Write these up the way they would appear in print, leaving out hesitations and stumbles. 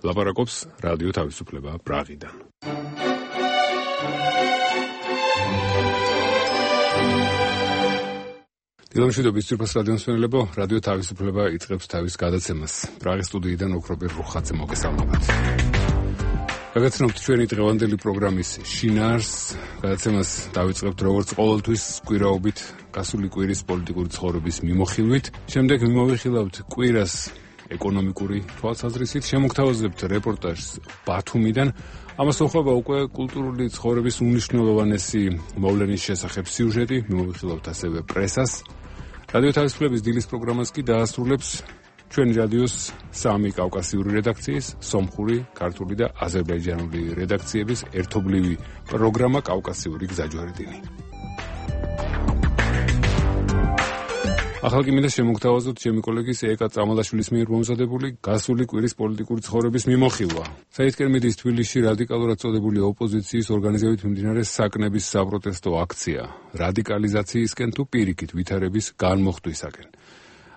ლაპარაკობს რადიო თავისუფლება პრაღიდან. დილამშვიდობის ძირფას რადიომსმენელებო, რადიო თავისუფლება იწყებს თავის გადაცემას. პრაღის სტუდიიდან ოქრობერ რუხაძე მოგესალმებათ. გაგაცნობთ ჩვენი დღევანდელი პროგრამის შინაარსს. გადაცემას დავიწყებთ როგორც ყოველთვის კვირაობით, გასული კვირის პოლიტიკური ცხოვრების მიმოხილვით. შემდეგ მიმოვიხილავთ კვირას ეკონომიკური თვალსაზრისით, შემოგთავაზებთ რეპორტაჟს ბათუმიდან. ამას ეხება უკვე კულტურული ცხოვრების უმნიშვნელოვანესი მოვლენის შესახებ სიუჟეტი, მიმოვიხილავთ ასევე პრესას. რადიო თავისუფლების დილის პროგრამას კი დაასრულებს ჩვენი რადიოს სამი კავკასიური რედაქციის, სომხური, ქართული და აზერბაიჯანული რედაქციების ერთობლივი პროგრამა კავკასიური გზაჯვარედინი. ახალ კი მინდა შემოგთავაზოთ ჩემი კოლეგის ეკა წამალაშვილის მიერ მომზადებული გასული კვირის პოლიტიკური ცხოვრების მიმოხილვა. საითკენ მიდის თბილისში რადიკალურად წოდებული ოპოზიციის ორგანიზებით მიმდინარე საკნების საპროტესტო აქცია, რადიკალიზაციისკენ თუ პირიქით ვითარების განმოხტვისაკენ.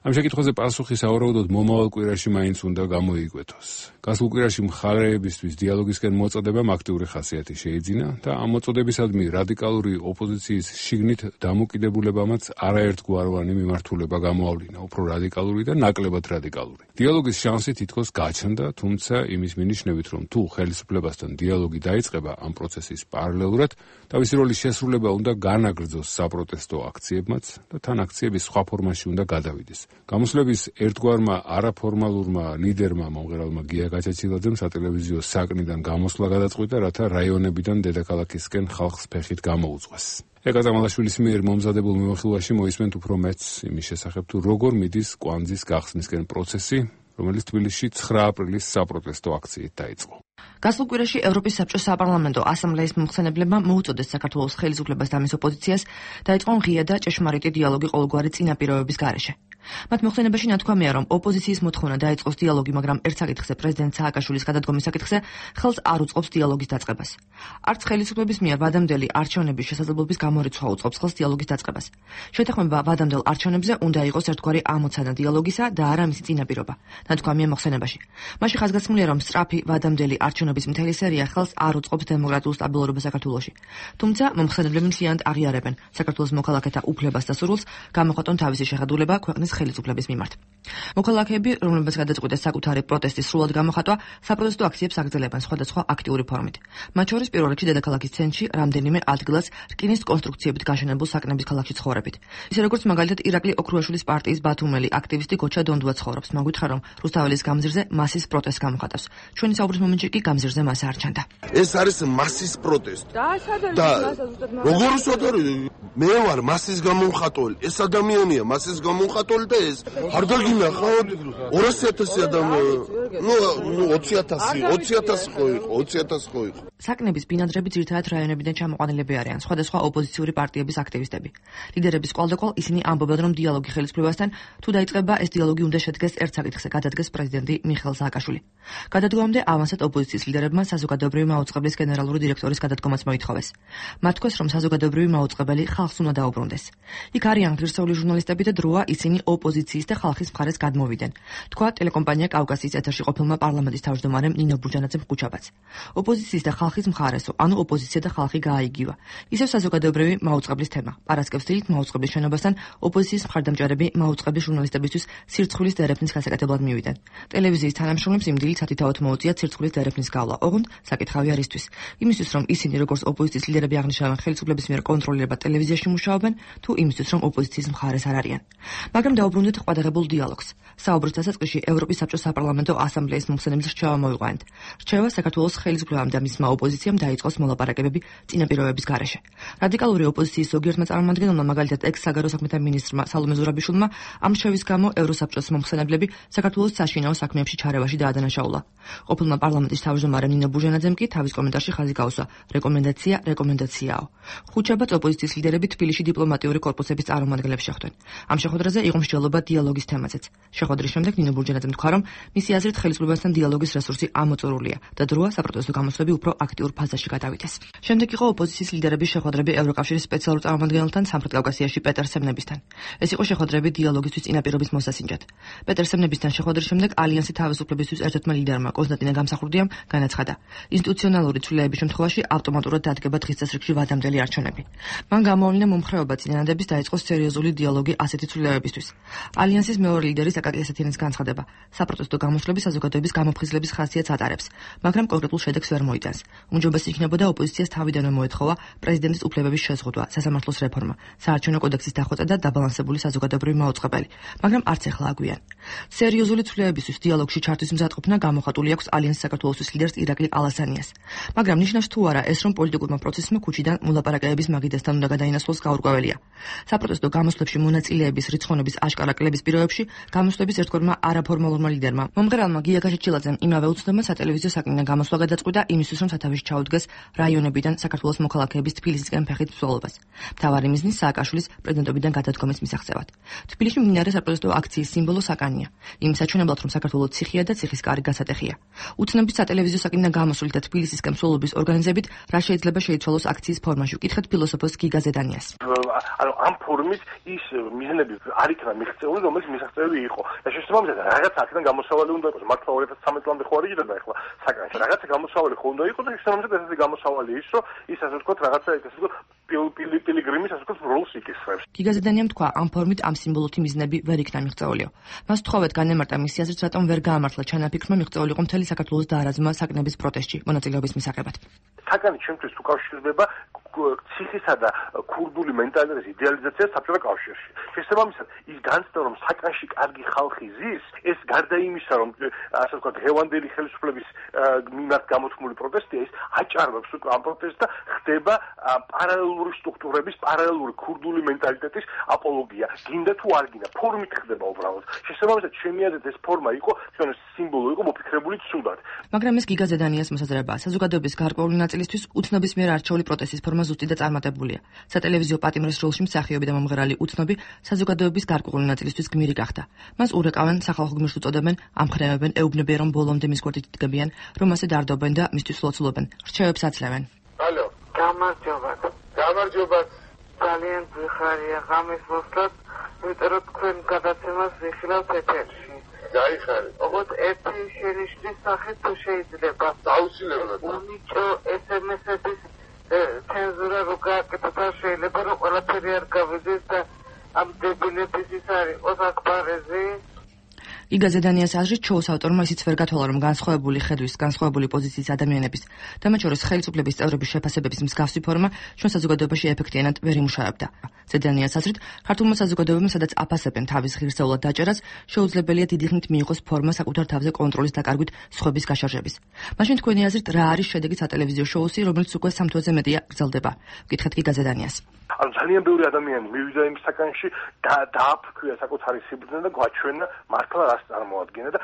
ამ შეკითხვაზე პასუხი სავარაუდოდ მომავალ კვირაში მაინც უნდა გამოიკვეთოს. გასულ კვირაში მხარეებისთვის დიალოგისკენ მოწოდებამ აქტიური ხასიათი შეიძინა და ამ მოწოდებისადმი რადიკალური ოპოზიციის შიგნით დამოკიდებულებამაც არაერთგვაროვანი მიმართულება გამოავლინა, უფრო რადიკალური და ნაკლებად რადიკალური. დიალოგის შანსი თითქოს გაჩნდა, თუმცა იმის მინიშნებით, რომ თუ ხელისუფლებასთან დიალოგი დაიწყება ამ პროცესის პარალელურად, თავისი როლის შესრულება უნდა განაგრძოს საპროტესტო აქციებმაც და თან აქციების სხვა ფორმაში უნდა გადავიდეს. გამოსვლების ერთგვარმა არაფორმალურმა ლიდერმა მომღერალმა გია გაჩეჩილაძემ სატელევიზიო საკნიდან გამოსვლა გადაწყვიტა, რათა რაიონებიდან დედაქალაქისკენ ხალხს ფეხით გამოუძღვეს. ეკა წამალაშვილის მიერ მომზადებულ მიმოხილვაში მოისმენთ უფრო მეც იმის შესახებ, თუ როგორ მიდის კვანძის გახსნისკენ პროცესი, რომელიც თბილისში 9 აპრილის საპროტესტო აქციით დაიწყო. გასულ კვირაში ევროპის საბჭოს საპარლამენტო ასამბლეის მომხსენებლებმა მოუწოდეს საქართველოს ხელისუფლებას და მის ოპოზიციას დაიწყონ ღია და ჭეშმარიტი დიალოგი ყოველგვარი წინაპირობების გარეშე. მათ მოხსენებაში ნათქვამია, რომ ოპოზიციის მოთხოვნა დაიწყოს დიალოგი, მაგრამ ერთ საკითხზე პრეზიდენტ სააკაშვილის გადადგომის საკითხზე ხელს არ უწყობს დიალოგის დაწყებას. არც ხელისუფლების მიერ ვადამდელი არჩევნების შესაძლებლობის გამორიცხვა უწყობს ხელს დიალოგის დაწყებას. შეთანხმება ვადამდელ არჩევნებზე უნდა იყოს ერთგვარი ამოცანა დიალოგისა და არა მისი წინაპირობა, ნათქვამია მოხსენებაში. მასში ხაზგასმულია, რომ სწრაფი ვადამდელი არჩევნების მთელი სერია ხელს არ უწყობს დემოკრატიულ სტაბილურობას საქართველოში. თუმცა მომხსენებლები მთლიანად აღიარებენ საქართველოს მოქალაქეთა უფლებას და სურვილს გამოხატონ თავისი შეხედულება ქვეყნის ხელისუფლების მიმართ. მოქალაქეები, რომლებსაც გადაწყვიტეს საკუთარი პროტესტის სრულად გამოხატვა, საპროტესტო აქციებს აგრძელებენ სხვადასხვა აქტიური ფორმით. მათ შორის პირველ რიგში დედაქალაქის ცენტრში რამდენიმე ადგილას რკინის კონსტრუქციებით გაშენებულ საკნების ქალაქში ცხოვრებით. ისე როგორც მაგალითად ირაკლი ოქრუაშვილის პარტიის ბათუმელი აქტივისტი გოჩა დონდუა ცხოვრობს. მან გითხრა, რომ რუსთაველის გამზირზე მასის პროტესტს გამოხატავს. ჩვენი საუბრის მომენტში კი გამზირზე მასა არ ჩანდა. ეს არის მასის პროტესტი. და როგორ ვსვადარი? მე ვარ მასის გამომხატველი. ეს ადამიანია მასის გამომხატველი. არ დაგინახავთ 200,000 ადამიანი, 20,000 ხო იყო. საკნების ბინადრები ძირითადად რაიონებიდან ჩამოყვანილები არიან, სხვადასხვა ოპოზიციური პარტიების აქტივისტები. ლიდერების კვალდაკვალ ისინი ამბობენ, რომ დიალოგი ხელისუფლებასთან თუ დაიწყება, ეს დიალოგი უნდა შედგეს ერთ საკითხზე, გადადგეს პრეზიდენტი მიხეილ სააკაშვილი. გადადგომამდე ავანსად ოპოზიციის ლიდერებმა საზოგადოებრივი მაუწყებლის გენერალური დირექტორის გადადგომაც მოითხოვეს. მათ თქვეს, რომ საზოგადოებრივი მაუწყებელი ხალხს უნდა დაუბრუნდეს. იქ არიან ღირსეული ჟურნალისტები და დროა ისინი ოპოზიციის და ხალხის მხარეს გადმოვიდნენ. თქვა ტელეკომპანია კავკასიის ეთერში ყოფილმა პარლამენტის თავმჯდომარემ ნინო ბურჯანაძემ ხუჩაბაც. ოპოზიციის და ხალხის მხარესო, ანუ ოპოზიცია და ხალხი გააიგივა. ისევ საზოგადოებრივი მაუწყებლის თემა. პარასკევს დილით მაუწყებლის შენობასთან ოპოზიციის მხარდამჭერები მაუწყებლის ჟურნალისტებისთვის სირცხვილის დერეფნის გასაკეთებლად მივიდნენ. ტელევიზიის თანამშრომლებს იმ დილით სათითაოდ მოუწია სირცხვილის დერეფნის გავლა. ოღონდ საკითხავი არისთვის. იმისთვის, რომ ისინი როგორც ოპოზიციის ლიდერები აღნიშნავენ ხელისუფლების მიერ კონტროლირება ტელევიზიაში მუშაობენ, თუ იმისთვის, რომ ოპოზიციის მხარეს არ არიან. მაგრამ დაუბრუნდეთ ყვადაღებულ დიალოგს. საუბრის დასაწყისში ევროპის საბჭოს საპარლამენტო ასამბლეის მომხსენებლის რჩევა მოიყვანეთ. რჩევა საქართველოს ხელისუფლებამ და მისმა ოპოზიციამ დაიწყოს მოლაპარაკებები წინაპირობების გარეშე. რადიკალური ოპოზიციის ზოგიერთმა წარმომადგენელმა, მაგალითად ექს-საგარეო საქმეთა მინისტრმა სალომე ზურაბიშვილმა, ამ რჩევის გამო ევროსაბჭოს მომხსენებლები საქართველოს საშინაო საქმეებში ჩარევაში დაადანაშაულა. ყოფილმა პარლამენტის თავმჯდომარემ ნინო ბურჟანაძემ კი თავის კომენტარში ხაზი გაუსვა: რეკომენდაცია, რეკომენდაციაო. ხუჩაბაც ოპოზიციის ლიდერები თბილისში დიპლომატიური კორპუსების წარმომადგენლებს შეხვდნენ. ამ შეხვედრაზე იყო მსჯელობა დიალოგის თემაზეც. შეხვედრის შემდეგ ნინო ბურჯანაძემ თქვა, რომ მისი აზრით ზოგადად ხელისუფლებასთან დიალოგის რესურსი ამოწურულია და დროა საპროტესტო გამოსვლები უფრო აქტიურ ფაზაში გადავიდეს. შემდეგ იყო ოპოზიციის ლიდერების შეხვედრები ევროკავშირის სპეციალურ წარმომადგენელთან სამხრეთ კავკასიაში პეტერ სემნებისთან. ეს იყო შეხვედრები დიალოგისთვის წინაპირობის მოსასინჯად. პეტერ სემნებისთან შეხვედრის შემდეგ ალიანსი თავისუფლებისთვის ერთ-ერთმა ლიდერმა კონსტანტინე გამსახურდიამ განაცხადა, ინსტიტუციონალური ცვლილების შემთხვევაში ავტომატურად დადგება დღის წესრიგში ვადამდელი არჩევნები. მან გამოავლინა მომხრეობა წინადადების დაიწყოს სერიოზული დიალოგი ასეთი ცვლილებებისთვის. ალიანსის მეორე ლიდერი აკაკი ესეთიანის განცხადება, საპროტესტო გამოსვლები საზოგადოების გამოფხიზლების ხასიათს ატარებს, მაგრამ კონკრეტულ შედეგს ვერ მოიტანს. უმჯობესი იქნებოდა ოპოზიციას თავიდანვე მოეთხოვა პრეზიდენტის უფლებების შეზღუდვა, სასამართლოს რეფორმა, საარჩევნო კოდექსის დახვეწა და დაბალანსებული საზოგადოებრივი მაუწყებელი, მაგრამ არც ეხლა აგვიან. სერიოზული ცვლილებებისთვის დიალოგში ჩართვის მზადყოფნა გამოხატული აქვს ალიანსის საქართველოსთვის ლიდერს ირაკლი ალასანიას. მაგრამ ნიშნავს თუ არა ეს, რომ პოლიტიკურმა პროცესმა ქუჩიდან მოლაპარაკებების მაგიდასთან უნდა გადაინაცვლოს გაურკვეველია. საპროტესტო გამოსვლებში მონაწილეების რიცხოვნობის აშკარა კლების პირობებში გამოსვლების ერთგვარმა არაფორმალურმა ლიდერმა მომღერალმა გია გაჩეჩილაძემ იმავე უცნობმა სატელევიზიო საკითხიდან გამოსვლა გადაწყვიტა იმისთვის, რომ სათავეში ჩაუდგეს რაიონებიდან საქართველოს მოქალაქეების თბილისისკენ ფეხით მსვლელობას. მთავარი მიზნი სააკაშვილის პრეზიდენტობიდან გადადგომის მისაღწევად. თბილისში მიმდინარე საპროტესტო აქციის სიმბოლო საკანია. იმის საჩვენებლად, რომ საქართველოს ციხია და ციხის კარი გასატეხია. უცნობით სატელევიზიო საკითხიდან გამოსვლით და თბილისისკენ მსვლელობის ორგანიზებით რა შეიძლება შეიცვალოს აქციის ფორმაში? ვკითხეთ ფილოსოფოს გიგა ზედანიას. ამ ფორმით ის მიზნები არ იქნა მიღწეული, რომელიც მისაღწევი იყო. და შესაბამისად რაღაც აქედან გამოსავალი უნდა იყოს. მართლა 2013 წლამდე ხო არ იგივე ახლა საკანში. რაღაცა გამოსავალი ხო უნდა იყოს და შესაბამისად ესეთი გამოსავალი ის, რომ ის ასე ვთქვათ რაღაცა ესე ვთქვათ პილიგრიმის ასე ვთქვათ როლს იკისრებს. გიგა ზედანიამ თქვა, ამ ფორმით ამ სიმბოლოთი მიზნები ვერ იქნა მიღწეულიო. მას თხოვეთ განემარტა მისი აზრით, რატომ ვერ გაამართლა ჩანაფიქრმა მიღწეული იყო მთელი საქართველოს დაარაზმა საკნების პროტესტში მონაწილეობის მისაღებად. საკანი ჩემთვის უკავშირდება ციხისა და ქურდული მენტალიტეტის იდეალიზაციას საბჭოთა კავშირში. შესაბამისად, ის განცდა, რომ საკანში კარგი ხალხი ზის, ეს გარდა იმისა, რომ ასე ვთქვათ, ღევანდელი ხელისუფლების მიმართ გამოთქმული პროტესტია, ის აჭარბებს უკვე ამ პროტესტს და ხდება პარალელური სტრუქტურების, პარალელური ქურდული მენტალიტეტის აპოლოგია. გინდა თუ არ გინდა, ფორმით ხდება უბრალოდ. შესაბამისად, ჩემი აზრით ეს ფორმა იყო, თქვენ სიმბოლო იყო მოფიქრებული ცუდად. მაგრამ ეს გიგა ზედანიას მოსაზრებაა. საზოგადოების გარკვეული ნაწილისთვის უცნობის მიერ არჩეული პროტესტის ფორმა ზუსტი და წარმატებულია. სატელევიზიო პატიმრის როლში მსახიობი და მომღერალი უცნობი საზოგადოების გარკვეული ნაწილისთვის გმირი გახდა. მას ურეკავენ, სახალხო გმირს უწოდებენ, ამხნევებენ, ეუბნებიან, რომ ბოლომდე მის გვერდით იდგებიან, რომ ასე დარდობენ და მისთვის ლოცულობენ. რჩევებს აცლევენ. ალო, გამარჯობა. გამარჯობა. ძალიან გვიხარია ღამის მოსვლად, იმიტომ რომ თქვენ გადაცემას ვიხილავთ ეთერში. გაიხარე. ოღონდ ერთი შენიშვნის სახით თუ შეიძლება. აუცილებლად. უნიჭო SMS-ების ცენზურა რო გააკეთოთ, შეიძლება რომ ყველაფერი არ გავიდეს და ამ დებილების ის არ იყოს აკბარეზი. გიგა ზედანიას აზრით, შოუს ავტორმა ისიც ვერ გათვალა, რომ განსხვავებული ხედვის, განსხვავებული პოზიციის ადამიანების და მათ შორის ხელისუფლების წევრების შეფასებების მსგავსი ფორმა ჩვენ საზოგადოებაში ეფექტიანად ვერ იმუშავებდა. ზედანიას აზრით, ქართულმა საზოგადოებამ, სადაც აფასებენ თავის ღირსეულად დაჭერას, შეუძლებელია დიდი ხნით მიიღოს ფორმა საკუთარ თავზე კონტროლის დაკარგვით სხვების გაშარჟების. მაშინ თქვენი აზრით, რა არის შედეგი სატელევიზიო შოუსი, რომელიც უკვე 3 თვეზე მეტია გრძელდება? ვკითხეთ გიგა ზედანიას. ანუ ძალიან ბევრი ადამიანი მივიდა იმ საკანში და დააფქვია საკუთარი სიბრძნე და გვაჩვენა მართლა რას წარმოადგენდა და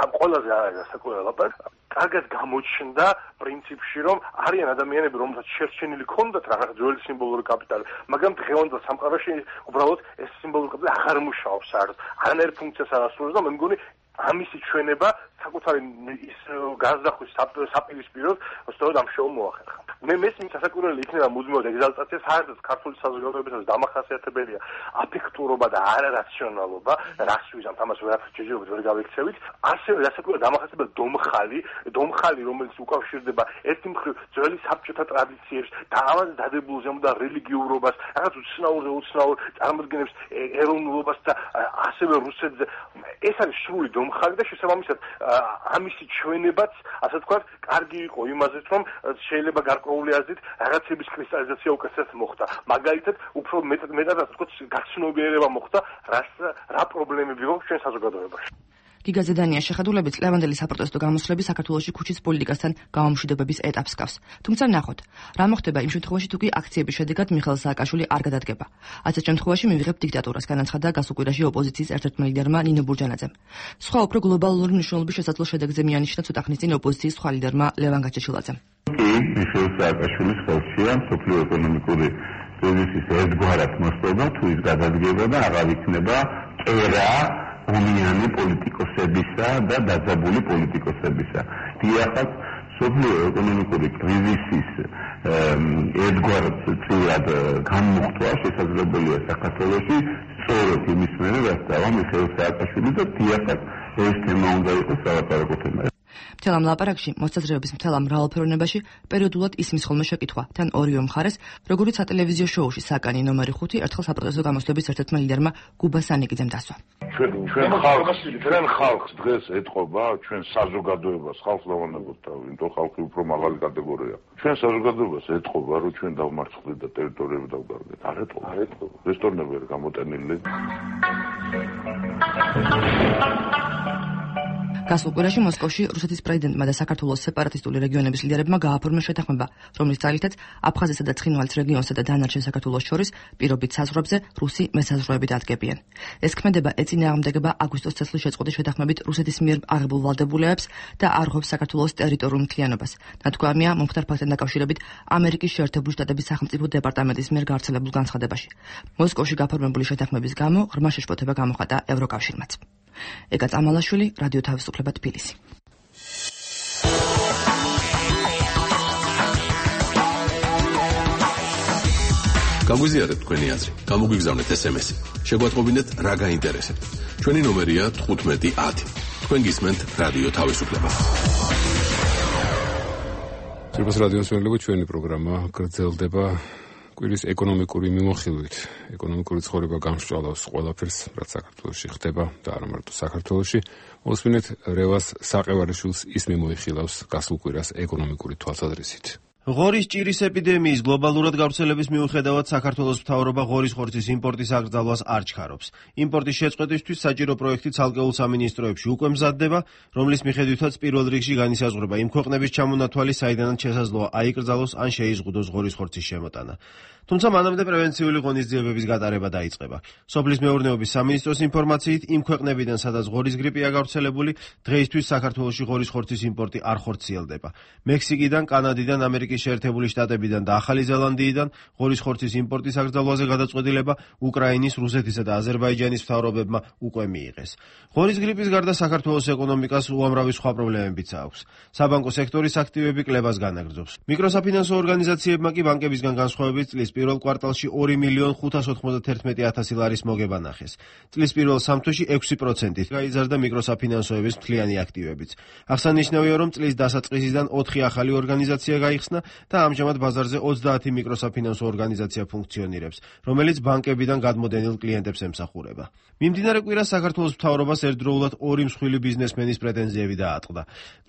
ამ ყველაზე საკუთარ კარგად გამოჩნდა პრინციპში, რომ არიან ადამიანები, რომელთაც შერჩენილი ქონდათ რაღაც ძველი სიმბოლური კაპიტალი, მაგრამ დღევანდელ სამყაროში უბრალოდ ეს სიმბოლური კაპიტალი აღარ მუშაობს საერთოდ. არანაირ ფუნქციას არ ასრულებს და მე მგონი ამისი ჩვენება საკუთარი ის განზრახვის საპირისპიროდ სწორედ ამ შოუმ მოახერხა. მე მესმის სასაკვირველი იქნება მუდმივად ეგზალტაცია, საერთოდ ქართული საზოგადოებისას დამახასიათებელია აფექტურობა და არარაციონალობა, რას ვიზამთ, ამას ვერაფერს შეიძლება ვერ გავიქცევით. ასევე სასაკვირველად დამახასიათებელია დომხალი, რომელიც უკავშირდება ერთი მხრივ ძველი საბჭოთა ტრადიციებს და ამაზე დადებულ ზემოდან რელიგიურობას, რაღაც უცნაურ წარმოდგენებს, ეროვნულობას და ასევე რუსეთზე. ეს არის სრული დომხალი და შესაბამისად ამისი ჩვენებაც, ასე ვთქვათ, კარგი იყო იმაზეც, რომ შეიძლება გარკვეული აზრით რაღაცების კრისტალიზაცია უკეთესად მოხდა. მაგალითად, უფრო მეტად ასე ვთქვათ, გაცნობიერება მოხდა, რა პრობლემები გვაქვს ჩვენ საზოგადოებაში. გიგა ზედანიას შეხედულებით ლევანდელი საპროტესტო გამოსვლები საქართველოში ქუჩის პოლიტიკასთან გამომშვიდობების ეტაპს გავს. თუმცა ნახოთ, რა მოხდება იმ შემთხვევაში, თუ კი აქციების შედეგად მიხეილ სააკაშვილი არ გადადგება. ასეთ შემთხვევაში მივიღებ დიქტატურას, განაცხადა გასუკვირაში ოპოზიციის ერთ-ერთმა ლიდერმა ნინო ბურჯანაძემ. სხვა უფრო გლობალური მნიშვნელობის შესაძლო შედეგზე მიანიშნა ცოტა ხნის წინ ოპოზიციის სხვა ლიდერმა ლევან გაჩეჩილაძემ. მიხეილ სააკაშვილის ხელშია მსოფლიო ეკონომიკური კრიზისის ერთგვარად მოსწრება, თუ ის გადადგება და აღარ იქნება კერა ომიანი პოლიტიკოსებისა და დაძაბული პოლიტიკოსებისა. დიახაც სოფლიო ეკონომიკური კრიზისის ერთგვარად წილად განმუხტვა შესაძლებელია საქართველოში სწორედ იმის მერე, რაც დავა მიხეილ სააკაშვილი და დიახაც ეს თემა უნდა იყოს სალაპარაკო თემა. მთელ ამ ლაპარაკში მოსაზრებების მთელ ამ მრავალფეროვნებაში პერიოდულად ისმის ხოლმე შეკითხვა თან ორივე მხარეს, როგორიც სატელევიზიო შოუში საკანი ნომერი 5 ერთხელ საპროტესტო გამოსვლების ერთ-ერთმა ლიდერმა გუბა სანიკიძემ დასვა. ჩვენ ხალხს დღეს ეთყობა, ჩვენ საზოგადოებას ხალხს დავანებოთ და იმიტომ ხალხი უფრო მაღალი კატეგორია. ჩვენ საზოგადოებას ეთყობა, რომ ჩვენ დავმარცხდით და ტერიტორიები დავგარდეთ. არ ეთყობა. რესტორნები არ გამოტენილი. გასულ კვირაში მოსკოვში რუსეთის პრეზიდენტმა და საქართველოს სეპარატისტული რეგიონების ლიდერებმა გააფორმეს შეთანხმება, რომლის ძალითაც აფხაზეთსა და ცხინვალის რეგიონსა და დანარჩენ საქართველოს შორის პირობით საზღვრებზე რუსი მესაზღვროები დადგებიან. ეს ქმედება ეწინააღმდეგება აგვისტოს წელს შეწყვეტის შეთანხმებით რუსეთის მიერ აღებულ ვალდებულებებს და არღვევს საქართველოს ტერიტორიულ მთლიანობას. ნათქვამია მომხდარ ფაქტთან დაკავშირებით ამერიკის შეერთებული შტატების სახელმწიფო დეპარტამენტის მიერ გავრცელებულ განცხადებაში. მოსკოვში გაფორმებული შეთანხმების გამო ღრმა შეშფოთება გამოხატა ევროკავშირმაც. ეკა წამალაშვილი, რადიო თავისუფლება თბილისი. გაგვიზიარეთ თქვენი აზრი, გამოგვიგზავნეთ SMS-ი. შეგვატყობინეთ რა გაინტერესებთ. ჩვენი ნომერია 1510. თქვენ გისმენთ რადიო თავისუფლება. ძირფას რადიოს მერლებო ჩვენი პროგრამა გრძელდება კვირის ეკონომიკური მიმოხილვით. ეკონომიკური ცხოვრება გამსჭვალავს ყველაფერს, რაც საქართველოში ხდება და არა მარტო საქართველოში. მოსმინეთ რევას საყევარიშვილს ის მიმოიხილავს გასულ კვირას ეკონომიკური თვალსაზრისით. ღორის ჭირის ეპიდემიის გლობალურად გავრცელების მიუხედავად საქართველოს მთავრობა ღორის ხორცის იმპორტის აკრძალვას არ ჩქარობს. იმპორტის შეწყვეტისთვის საჭირო პროექტი ცალკეულ სამინისტროებში უკვე მზადდება, რომლის მიხედვითაც პირველ რიგში განისაზღვრება იმ ქვეყნების ჩამონათვალი, საიდანაც შესაძლოა აიკრძალოს ან შეიზღუდოს ღორის ხორცის შემოტანა. თუმცა მანამდე პრევენციული ღონისძიებების გატარება დაიწყება. სოფლის მეურნეობის სამინისტროს ინფორმაციით, იმ ქვეყნებიდან, სადაც ღორის გრიპია გავრცელებული, დღეისთვის საქართველოში ღორის ხორცის იმპორტი არ ხორციელდება. მექსიკიდან, კანადიდან, ამერიკის შეერთებული შტატებიდან და ახალი ზელანდიიდან ღორის ხორცის იმპორტის აკრძალვაზე გადაწყვეტილება უკრაინის, რუსეთისა და აზერბაიჯანის მთავრობებმა უკვე მიიღეს. ღორის გრიპის გარდა საქართველოს ეკონომიკას უამრავი სხვა პრობლემებიც აქვს. საბანკო სექტორის აქტივები კლებას განაგრძობს. მიკროსაფინანსო ორგანიზაციებმა კი ბანკებისგან განსხვავებით წლის პირველ კვარტალში 2.591.000 ლარის მოგება ნახეს. წლის პირველ სამ თვეში 6% გაიზარდა მიკროსაფინანსოების მთლიანი აქტივებიც. აღსანიშნავია, რომ წლის დასაწყისიდან 4 ახალი ორგანიზაცია გაიხსნა და ამჟამად ბაზარზე 30 მიკროსაფინანსო ორგანიზაცია ფუნქციონირებს, რომელიც ბანკებიდან გადმოდენილ კლიენტებს ემსახურება. მიმდინარე კვირას საქართველოს მთავრობას ერთდროულად 2 მსხვილი ბიზნესმენის პრეტენზიები დაატყდა.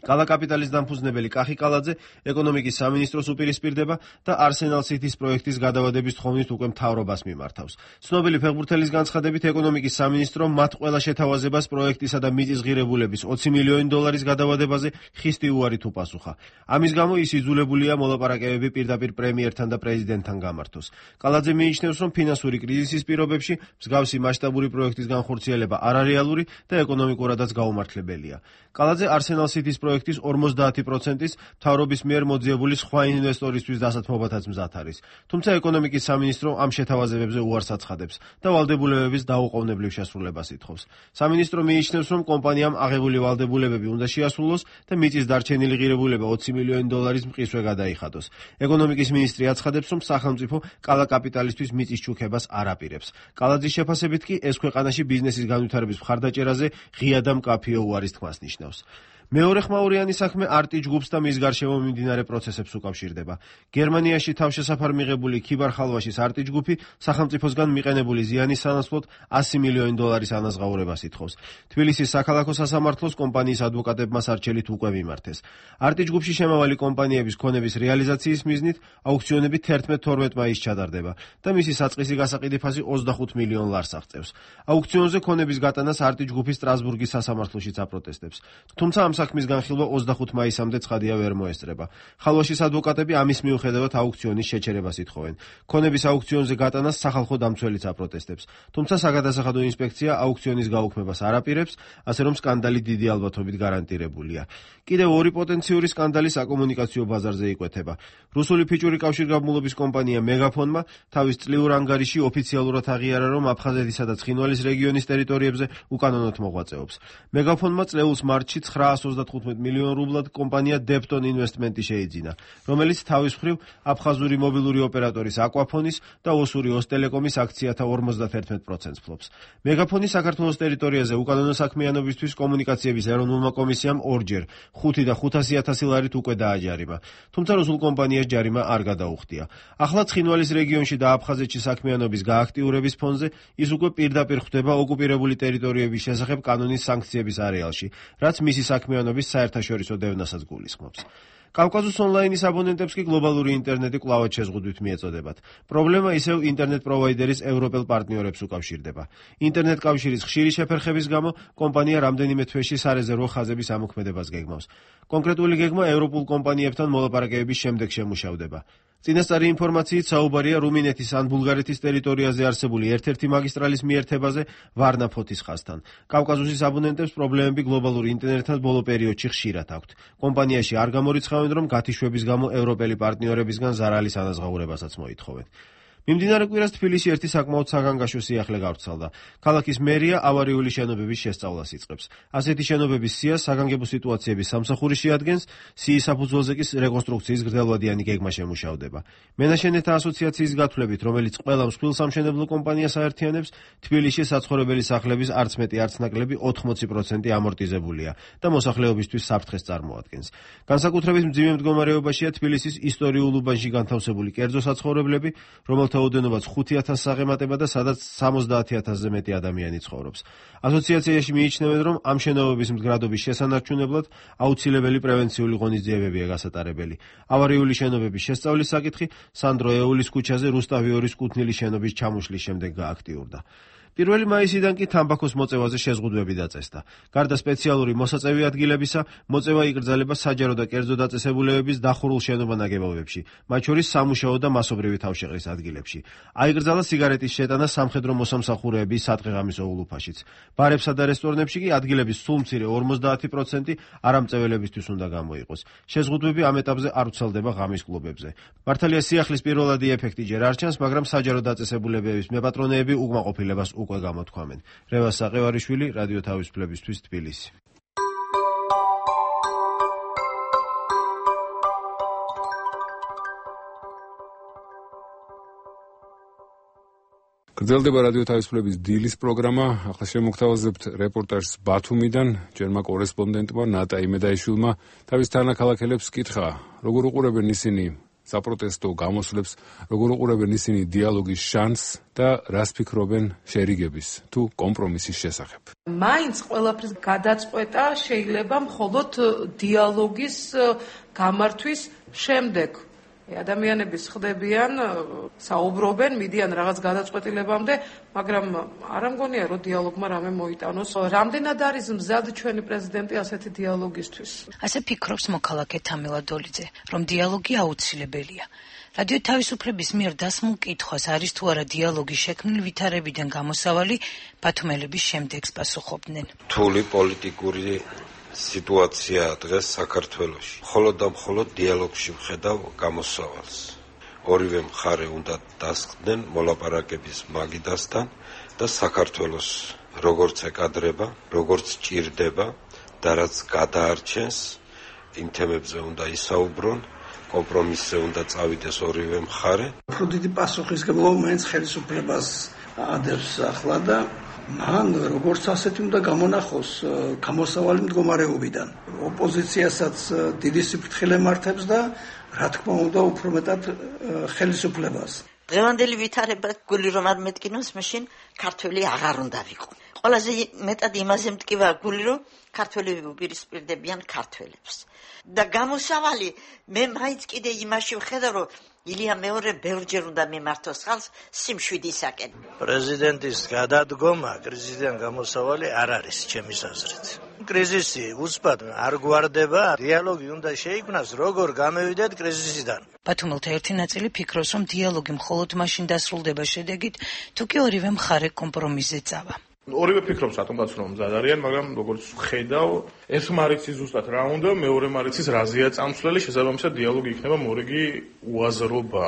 კალაკაპიტალის დამფუძნებელი კახი კალაძე ეკონომიკის სამინისტროს უპირისპირდება და არსენალ სიტის პროექტის გადავადების თხოვნით უკვე მთავრობას მიმართავს. ცნობილი ფეხბურთელის განცხადებით, ეკონომიკის სამინისტრო მათ ყველა შეთავაზებას პროექტისა და მიწის ღირებულების $20 მილიონის გადავადებაზე ხისტი უარით უპასუხა. ამის გამო ის იძულებულია მოლაპარაკებები პირდაპირ პრემიერთან და პრეზიდენტთან გამართოს. კალაძე მიიჩნევს, რომ ფინანსური კრიზისის პირობებში მსგავსი მასშტაბური პროექტის განხორციელება არარეალური და ეკონომიკურადაც გაუმართლებელია. კალაძე არსენალ სიტის პროექტის 50%-ის მთავრობის მიერ მოძიებული სხვა ინვესტორისთვის დასათმობათაც მზად არის. თუმცა ეკონომიკის სამინისტრო ამ შეთავაზებებზე უარს აცხადებს და ვალდებულებების დაუყოვნებლივ შესრულებას ითხოვს. სამინისტრო მიიჩნევს, რომ კომპანიამ აღებული ვალდებულებები უნდა შეასრულოს და მიწის დარჩენილი ღირებულება $20 მილიონის მყისვე გადაიხადოს. ეკონომიკის მინისტრი აცხადებს, რომ სახელმწიფო კალაკაპიტალისთვის მიწის ჩუქებას არ აპირებს. კალაძის შეფასებით კი ეს ქვეყანაში ბიზნესის განვითარების მხარდაჭერაზე ღია და მკაფიო უარის თქმას ნიშნავს. მეორე ხმაურიანი საქმე არტი ჯგუფს და მის გარშემო მიმდინარე პროცესებს უკავშირდება. გერმანიაში თავშესაფარ მიღებული ქიბარ ხალვაშის არტი ჯგუფი სახელმწიფოსგან მიყენებული ზიანის სანაცვლოდ $100 მილიონის ანაზღაურებას ითხოვს. თბილისის საქალაქო სასამართლოს კომპანიის ადვოკატებმა სარჩელით უკვე მიმართეს. არტი ჯგუფში შემავალი კომპანიების ქონების რეალიზაციის მიზნით აუქციონები 11-12 მაისს ჩატარდება და მისი საწყისი გასაყიდი ფასი $25 მილიონ ლარს აღწევს. აუქციონზე ქონების გატანას არტი ჯგუფი სტრასბურგის სასამართლოშიც აპროტესტებს. თუმცა ამ საქმის განხილვა 25 მაისამდე ცხადია ვერ მოესწრება. ხალვაშის ადვოკატები ამის მიუხედავად აუქციონის შეჩერებას ითხოვენ. ქონების აუქციონზე გატანას სახალხო დამცველიც აპროტესტებს. თუმცა საგადასახადო ინსპექცია აუქციონის გაუქმებას არ აპირებს, ასე რომ სკანდალი დიდი ალბათობით გარანტირებულია. კიდევ ორი პოტენციური სკანდალი საკომუნიკაციო ბაზარზე იკვეთება. რუსული ფიჭური კავშირგაბმულობის კომპანია მეგაფონმა თავის წლიურ ანგარიში ოფიციალურად აღიარა, რომ აფხაზეთისა და ცხინვალის რეგიონის ტერიტორიებზე უკანონოდ მოღვაწეობს. მეგაფონმა წლეულის მარტში 935 მილიონ რუბლად კომპანია Depton Investment-ი შეიძინა, რომელიც თავის მხრივ აფხაზური მობილური ოპერატორის აკვაფონის და ოსური ოსტელეკომის აქციათა 51%-ს ფლობს. მეგაფონი საქართველოს ტერიტორიაზე უკანონო საქმიანობისთვის კომუნიკაციების ეროვნულმა კომისიამ ორჯერ 5 და 500,000 ლარით უკვე დააჯარიმა, თუმცა რუსულ კომპანიას ჯარიმა არ გადაუხდია. ახლა ცხინვალის რეგიონში და აფხაზეთში საქმიანობის გააქტიურების ფონზე ის უკვე პირდაპირ ხვდება ოკუპირებული ტერიტორიების შესახებ კანონის სანქციების არეალში, რაც მისი საქმიანობის საერთაშორისო დევნასაც გულისხმობს. კავკასუს ონლაინის აბონენტებს კი გლობალური ინტერნეტი კვლავად შეზღუდვით მიეწოდებათ. პრობლემა ისევ ინტერნეტ პროვაიდერის ევროპელ პარტნიორებს უკავშირდება. ინტერნეტ კავშირის ხშირი შეფერხების გამო კომპანია რამდენიმე თვეში სარეზერვო ხაზების ამოქმედებას გეგმავს. კონკრეტული გეგმა ევროპულ კომპანიებთან მოლაპარაკებების შემდეგ შემუშავდება. წინასწარი ინფორმაციით საუბარია რუმინეთის ან ბულგარეთის ტერიტორიაზე არსებული ერთ-ერთი მაგისტრალის მიერთებაზე ვარნა-ფოთის ხაზთან. კავკასუსის აბონენტებს პრობლემები გლობალურ ინტერნეტთან ბოლო პერიოდში ხშირად აქვთ. კომპანიაში არ გამორიცხავენ, რომ გათიშვების გამო ევროპელი პარტნიორებისგან ზარალის ანაზღაურებასაც მოითხოვენ. მიმდინარე კვირას თბილისში ერთი საკმაოდ საგანგაშო სიახლე გავრცელდა. ქალაქის მერია ავარიული შენობების შესწავლას იწყებს. ასეთი შენობების სიას საგანგებო სიტუაციების სამსახური შეადგენს, სიის საფუძველზე კი რეკონსტრუქციის გრძელვადიანი გეგმა შემუშავდება. მენაშენეთა ასოციაციის გათვლებით, რომელიც ყველა მსხვილ სამშენებლო კომპანიას აერთიანებს, თბილისში საცხოვრებელი სახლების არც მეტი არც ნაკლები 80% ამორტიზებულია და მოსახლეობისთვის საფრთხეს წარმოადგენს. განსაკუთრებით მძიმე მდგომარეობაშია თბილისის ისტორიულ უბანში განთავსებული კერძო საცხოვრებლები, რომელთა ოდენობაც 5,000 საღემატება და სადაც 70,000-ზე მეტი ადამიანი ცხოვრობს. ასოციაციაში მიიჩნევენ, რომ ამ შენობების მდგრადობის შესანარჩუნებლად აუცილებელი პრევენციული ღონისძიებებია გასატარებელი. ავარიული შენობების შესწავლის საკითხი სანდრო ეულის ქუჩაზე რუსტავი 2-ის კუთვნილი შენობის ჩამოშლის შემდეგ გააქტიურდა. 1 მაისიდან კი თამბაქოს მოწევაზე შეზღუდვები დაწესდა. გარდა სპეციალური მოსაწევი ადგილებისა, მოწევა იკრძალება საჯარო და კერძო დაწესებულებების დახურულ შენობა-ნაგებობებში, მათ შორის სამუშაო და მასობრივი თავშეყრის ადგილებში. აიკრძალა სიგარეტის შეტანა სამხედრო მოსამსახურეების სადღეღამისო ულუფაშიც. ბარებსა და რესტორნებში კი ადგილების სულ მცირე 50% არამწეველებისთვის უნდა გამოიყოს. შეზღუდვები ამ ეტაპზე არ ვრცელდება ღამის კლუბებზე. მართალია სიახლის პირველადი ეფექტი ჯერ არ ჩანს, მაგრამ საჯარო დაწესებულებების მეპატრონეები უკმაყოფილებას უკვე გამოთქვამენ. რევას საყევარიშვილი, რადიო თავისუფლებისთვის, თბილისი. გრძელდება რადიო თავისუფლების დილის პროგრამა. ახლა შემოგთავაზებთ რეპორტაჟს ბათუმიდან. ჯერმა კორესპონდენტმა ნატა იმედაიშვილმა თავის თანაქალაქელებს კითხა, როგორ უყურებენ ისინი საპროტესტო გამოსვლებს, როგორ უყურებენ ისინი დიალოგის შანსს და რას ფიქრობენ შერიგების თუ კომპრომისის შესახებ. მაინც ყველაფრის გადაწყვეტა შეიძლება მხოლოდ დიალოგის გამართვის შემდეგ. ადამიანები ხდებიან, საუბრობენ, მიდიან რაღაც გადაწყვეტილებამდე, მაგრამ არ ამგონია, რომ დიალოგმა რამე მოიტანოს. რამდენად არის მზად ჩვენი პრეზიდენტი ასეთი დიალოგისთვის? ასე ფიქრობს მოქალაქე თამილა დოლიძე, რომ დიალოგი აუცილებელია. რადიო თავისუფლების მიერ დასმულ კითხვას არის თუ არა დიალოგი შექმნილ ვითარებიდან გამოსავალი, ბათუმელების შემდეგს პასუხობდნენ. რთული პოლიტიკური სიტუაციაა დღეს საქართველოში. მხოლოდ და მხოლოდ დიალოგში ვხედავ გამოსავალს. ორივე მხარე უნდა დასხდნენ მოლაპარაკების მაგიდასთან და საქართველოს როგორც ეკადრება, როგორც ჭირდება და რაც გადაარჩენს, იმ თემებზე უნდა ისაუბრონ, კომპრომისზე უნდა წავიდეს ორივე მხარე. უფრო დიდი პასუხისმგებლობა მაინც ხელისუფლებას ადევს ახლა და მან როგორც ასეთი უნდა გამონახოს გამოსავალი მდგომარეობიდან. ოპოზიციასაც დიდი სიფრთხილე მართებს და რა თქმა უნდა უფრო მეტად ხელისუფლებას. დღევანდელი ვითარება გული რომ არ მეტკინოს, მაშინ ქართველი აღარ უნდა ვიყო. ყველაზე მეტად იმაზე მტკივა გული რომ ქართველები უპირისპირდებიან ქართველებს. და გამოსავალი მე მაინც კიდე იმაში ვხედავ რომ ილია მეორე ბევრჯერ უნდა მიმართოს ხალხს სიმშვიდისაკენ. პრეზიდენტის გადადგომა კრიზისიდან გამოსავალი არ არის ჩემის აზრით. კრიზისი უცბად არ გვარდება, დიალოგი უნდა შეიქმნას, როგორ გამევიდეთ კრიზისიდან. ბათუმელთა ერთი ნაწილი ფიქრობს, რომ დიალოგი მხოლოდ მაშინ დასრულდება შედეგით, თუ კი ორივე მხარე კომპრომისზე წავა. ორივე ფიქრობს რატომაც რომ მზად არიან, მაგრამ როგორც ხედავ, ერთმა არიცის ზუსტად რა უნდა, მეორემ არიცის რაზეა წამსვლელი, შესაბამისად დიალოგი იქნება მორიგი უაზრობა.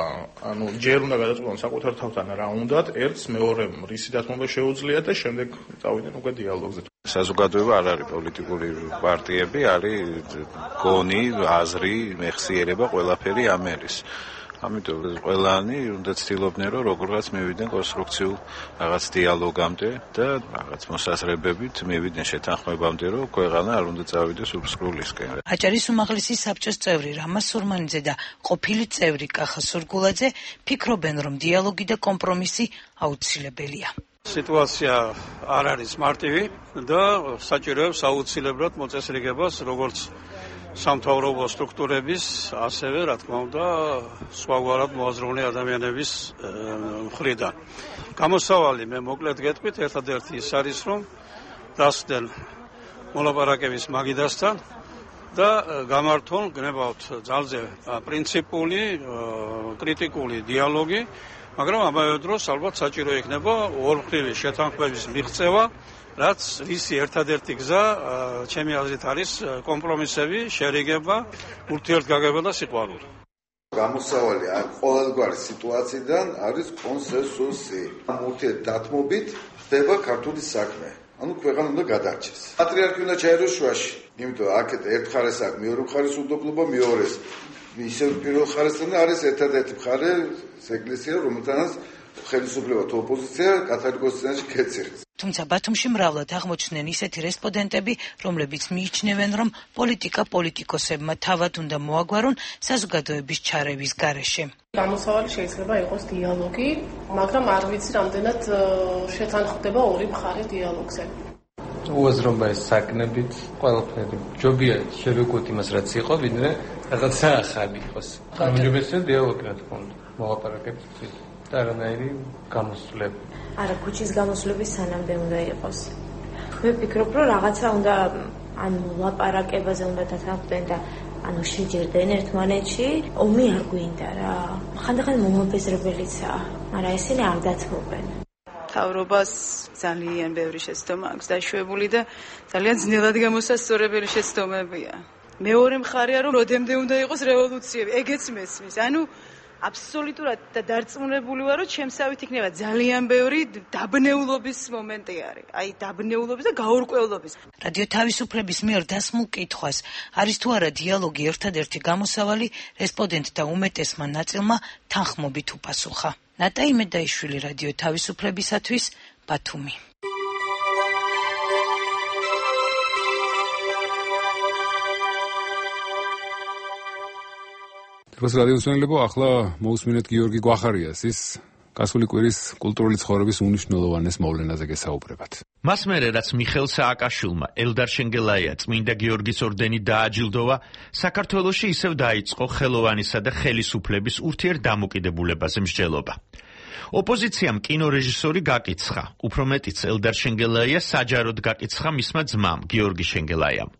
ანუ ჯერ უნდა გადაწყვეტონ საკუთარ თავთან რა უნდათ, ერთს მეორემ რისი დათმობა შეუძლიათ და შემდეგ წავიდნენ უკვე დიალოგზე. საზოგადოება არ არის პოლიტიკური პარტიები, არის გონი, აზრი, მეხსიერება, ყველაფერი ამ არის. ამიტომ ყველანი უნდა ცდილობდნენ რომ როგორღაც მივიდნენ კონსტრუქციულ რაღაც დიალოგამდე და რაღაც მოსაზრებებით მივიდნენ შეთანხმებამდე რომ ქვეყანა არ უნდა წავიდეს უსრულისკენ. აჭარის უმაღლესი საბჭოს წევრი რამა სურმანიძე და ყოფილი წევრი კახა სურგულაძე ფიქრობენ რომ დიალოგი და კომპრომისი აუცილებელია. სიტუაცია არ არის მარტივი და საჭიროებს აუცილებლად მოწესრიგებას როგორც სამთავრობო სტრუქტურების, ასევე რა თქმა უნდა, სხვაგვარად მოაზროვნე ადამიანების მხრიდან. გამოსავალი მე მოკლედ გეტყვით, ერთადერთი ის არის, რომ დასდენ მოლაპარაკების მაგიდასთან და გამართონ გნებავთ ძალზე პრინციპული, კრიტიკული დიალოგი, მაგრამ ამავე დროს ალბათ საჭირო იქნება ორმხრივი შეთანხმების მიღწევა, რაც ისი ერთადერთი გზა ჩემი აზრით არის კომპრომისები, შერიგება, ურთიერთგაგება და სიყვარული. გამოსავალი ყოველგვარი სიტუაციიდან არის კონსენსუსი. ამ ურთიერთდათმობით ხდება ქართული საქმე. ანუ ქვეყანა უნდა გადარჩეს. პატრიარქი უნდა ჩაეროს შუაში. იმიტომ აქეთ ერთ მხარეს აქვს მეორე მხარეს უდობლობა, მეორეს ისევ პირველ მხარესთან არის ერთადერთი მხარე ეკლესია, რომელთანაც ხელისუფლება თუ ოპოზიცია კათოლიკოსის წინაშე ქეციხს. თუმცა ბათუმში მრავლად აღმოჩნდნენ ისეთი რესპონდენტები, რომლებიც მიიჩნევენ, რომ პოლიტიკა პოლიტიკოსებმა თავად უნდა მოაგვარონ საზოგადოების ჩარევის გარეშე. გამოსავალი შეიძლება იყოს დიალოგი, მაგრამ არ ვიცი რამდენად შეთანხმდება ორი მხარე დიალოგზე. უაზრობა საკნებით ყველაფერი. ჯობია შევეკოთ იმას, რაც იყო, ვიდრე რაღაცა ახალი იყოს. უმჯობესია დიალოგი, რა თქმა უნდა, მოლაპარაკების წინ. და არანაირი გამოსვლები. არა, ქუჩის გამოსვლები სანამდე უნდა იყოს. მე ვფიქრობ, რომ რაღაცა უნდა ან ლაპარაკებაზე უნდა დათანხმდნენ და ანუ შეჯერდნენ ერთმანეთში. ომი არ გვინდა რა. ხანდახან მომაბეზრებელიცაა, მაგრამ ესენი არ დათმობენ. თავრობას ძალიან ბევრი შეცდომა აქვს დაშვებული და ძალიან ძნელად გამოსასწორებელი შეცდომებია. მეორე მხარეა რომ როდემდე უნდა იყოს რევოლუციები, ეგეც მესმის. ანუ აბსოლუტურად და დარწმუნებული ვარ, რომ ჩემსავით იქნება ძალიან ბევრი დაბნეულობის მომენტი არის. აი დაბნეულობის და გაურკვევლობის. რადიო თავისუფლების მიერ დასმულ კითხვას, არის თუ არა დიალოგი ერთადერთი გამოსავალი, რესპონდენტთა უმეტესმა ნაწილმა თანხმობით უპასუხა. ნატა იმედაიშვილი, რადიო თავისუფლებისათვის, ბათუმი. დროს რადიოსმენელებო, ახლა მოусმინეთ გიორგი გვახარიასის გასული კვირის კულტურული ცხოვრების უნიშნელოვანეს მოვლენაზე გესაუბრებათ. მას მერე რაც მიხეილ სააკაშვილმა ელდარ შენგელაია წმინდა გიორგის ორდენით დააჯილდოვა, საქართველოში ისევ დაიწყო ხელოვანისა და ხელისუფლების ურთიერთდამოკიდებულებაზე მსჯელობა. ოპოზიციამ კინორეჟისორი გაკიცხა, უფრო მეტიც ელდარ შენგელაია საჯაროდ გაკიცხა მისმა ძმამ გიორგი შენგელაიამ.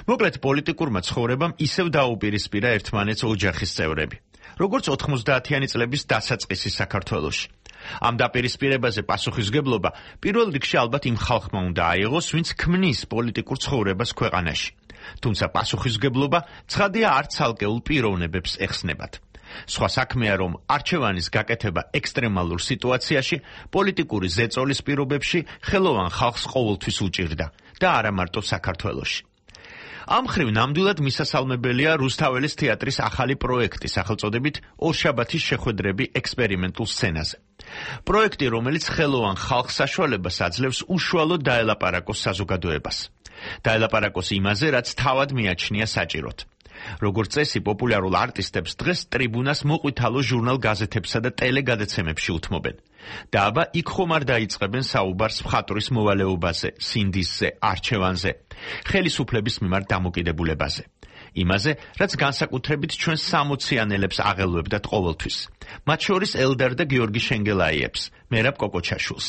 მოკლედ პოლიტიკურმა ცხოვრებამ ისევ დაუპირისპირა ერთმანეთს ოჯახის წევრები, როგორც 90-იანი წლების დასაწყისი საქართველოში. ამ დაპირისპირებაზე პასუხისმგებლობა პირველ რიგში ალბათ იმ ხალხმა უნდა აიღოს, ვინც ქმნის პოლიტიკურ ცხოვრებას ქვეყანაში. თუმცა პასუხისმგებლობა ცხადია არც ცალკეულ პიროვნებებს ეხსნებათ. სხვა საქმეა, რომ არჩევანის გაკეთება ექსტრემალურ სიტუაციაში, პოლიტიკური ზეწოლის პირობებში ხელოვან ხალხს ყოველთვის უჭირდა და არა მარტო საქართველოში. ამ ხრივ ნამდვილად მისასალმებელია რუსთაველის თეატრის ახალი პროექტი სახელწოდებით ორშაბათის შეხვედრები ექსპერიმენტულ სცენაზე. პროექტი, რომელიც ხელოვან ხალხს საშუალებას აძლევს უშუალოდ დაელაპარაკოს საზოგადოებას. დაელაპარაკოს იმაზე, რაც თავად მიაჩნია საჭიროდ. როგორც წესი, პოპულარულ არტისტებს დღეს ტრიბუნას მოყვითალო ჟურნალ-გაზეთებსა და ტელეგადაცემებში უთმობენ. და აბა იქ ხომ არ დაიწყებენ საუბარს მხატვრის მოვალეობაზე, სინდისზე, არჩევანზე, ხელისუფლების მიმართ დამოკიდებულებაზე. იმაზე, რაც განსაკუთრებით ჩვენ 60-იანელებს აღელვებდათ ყოველთვის. მათ შორის ელდარ და გიორგი შენგელაიებს, მერაბ კოკოჩაშვილს.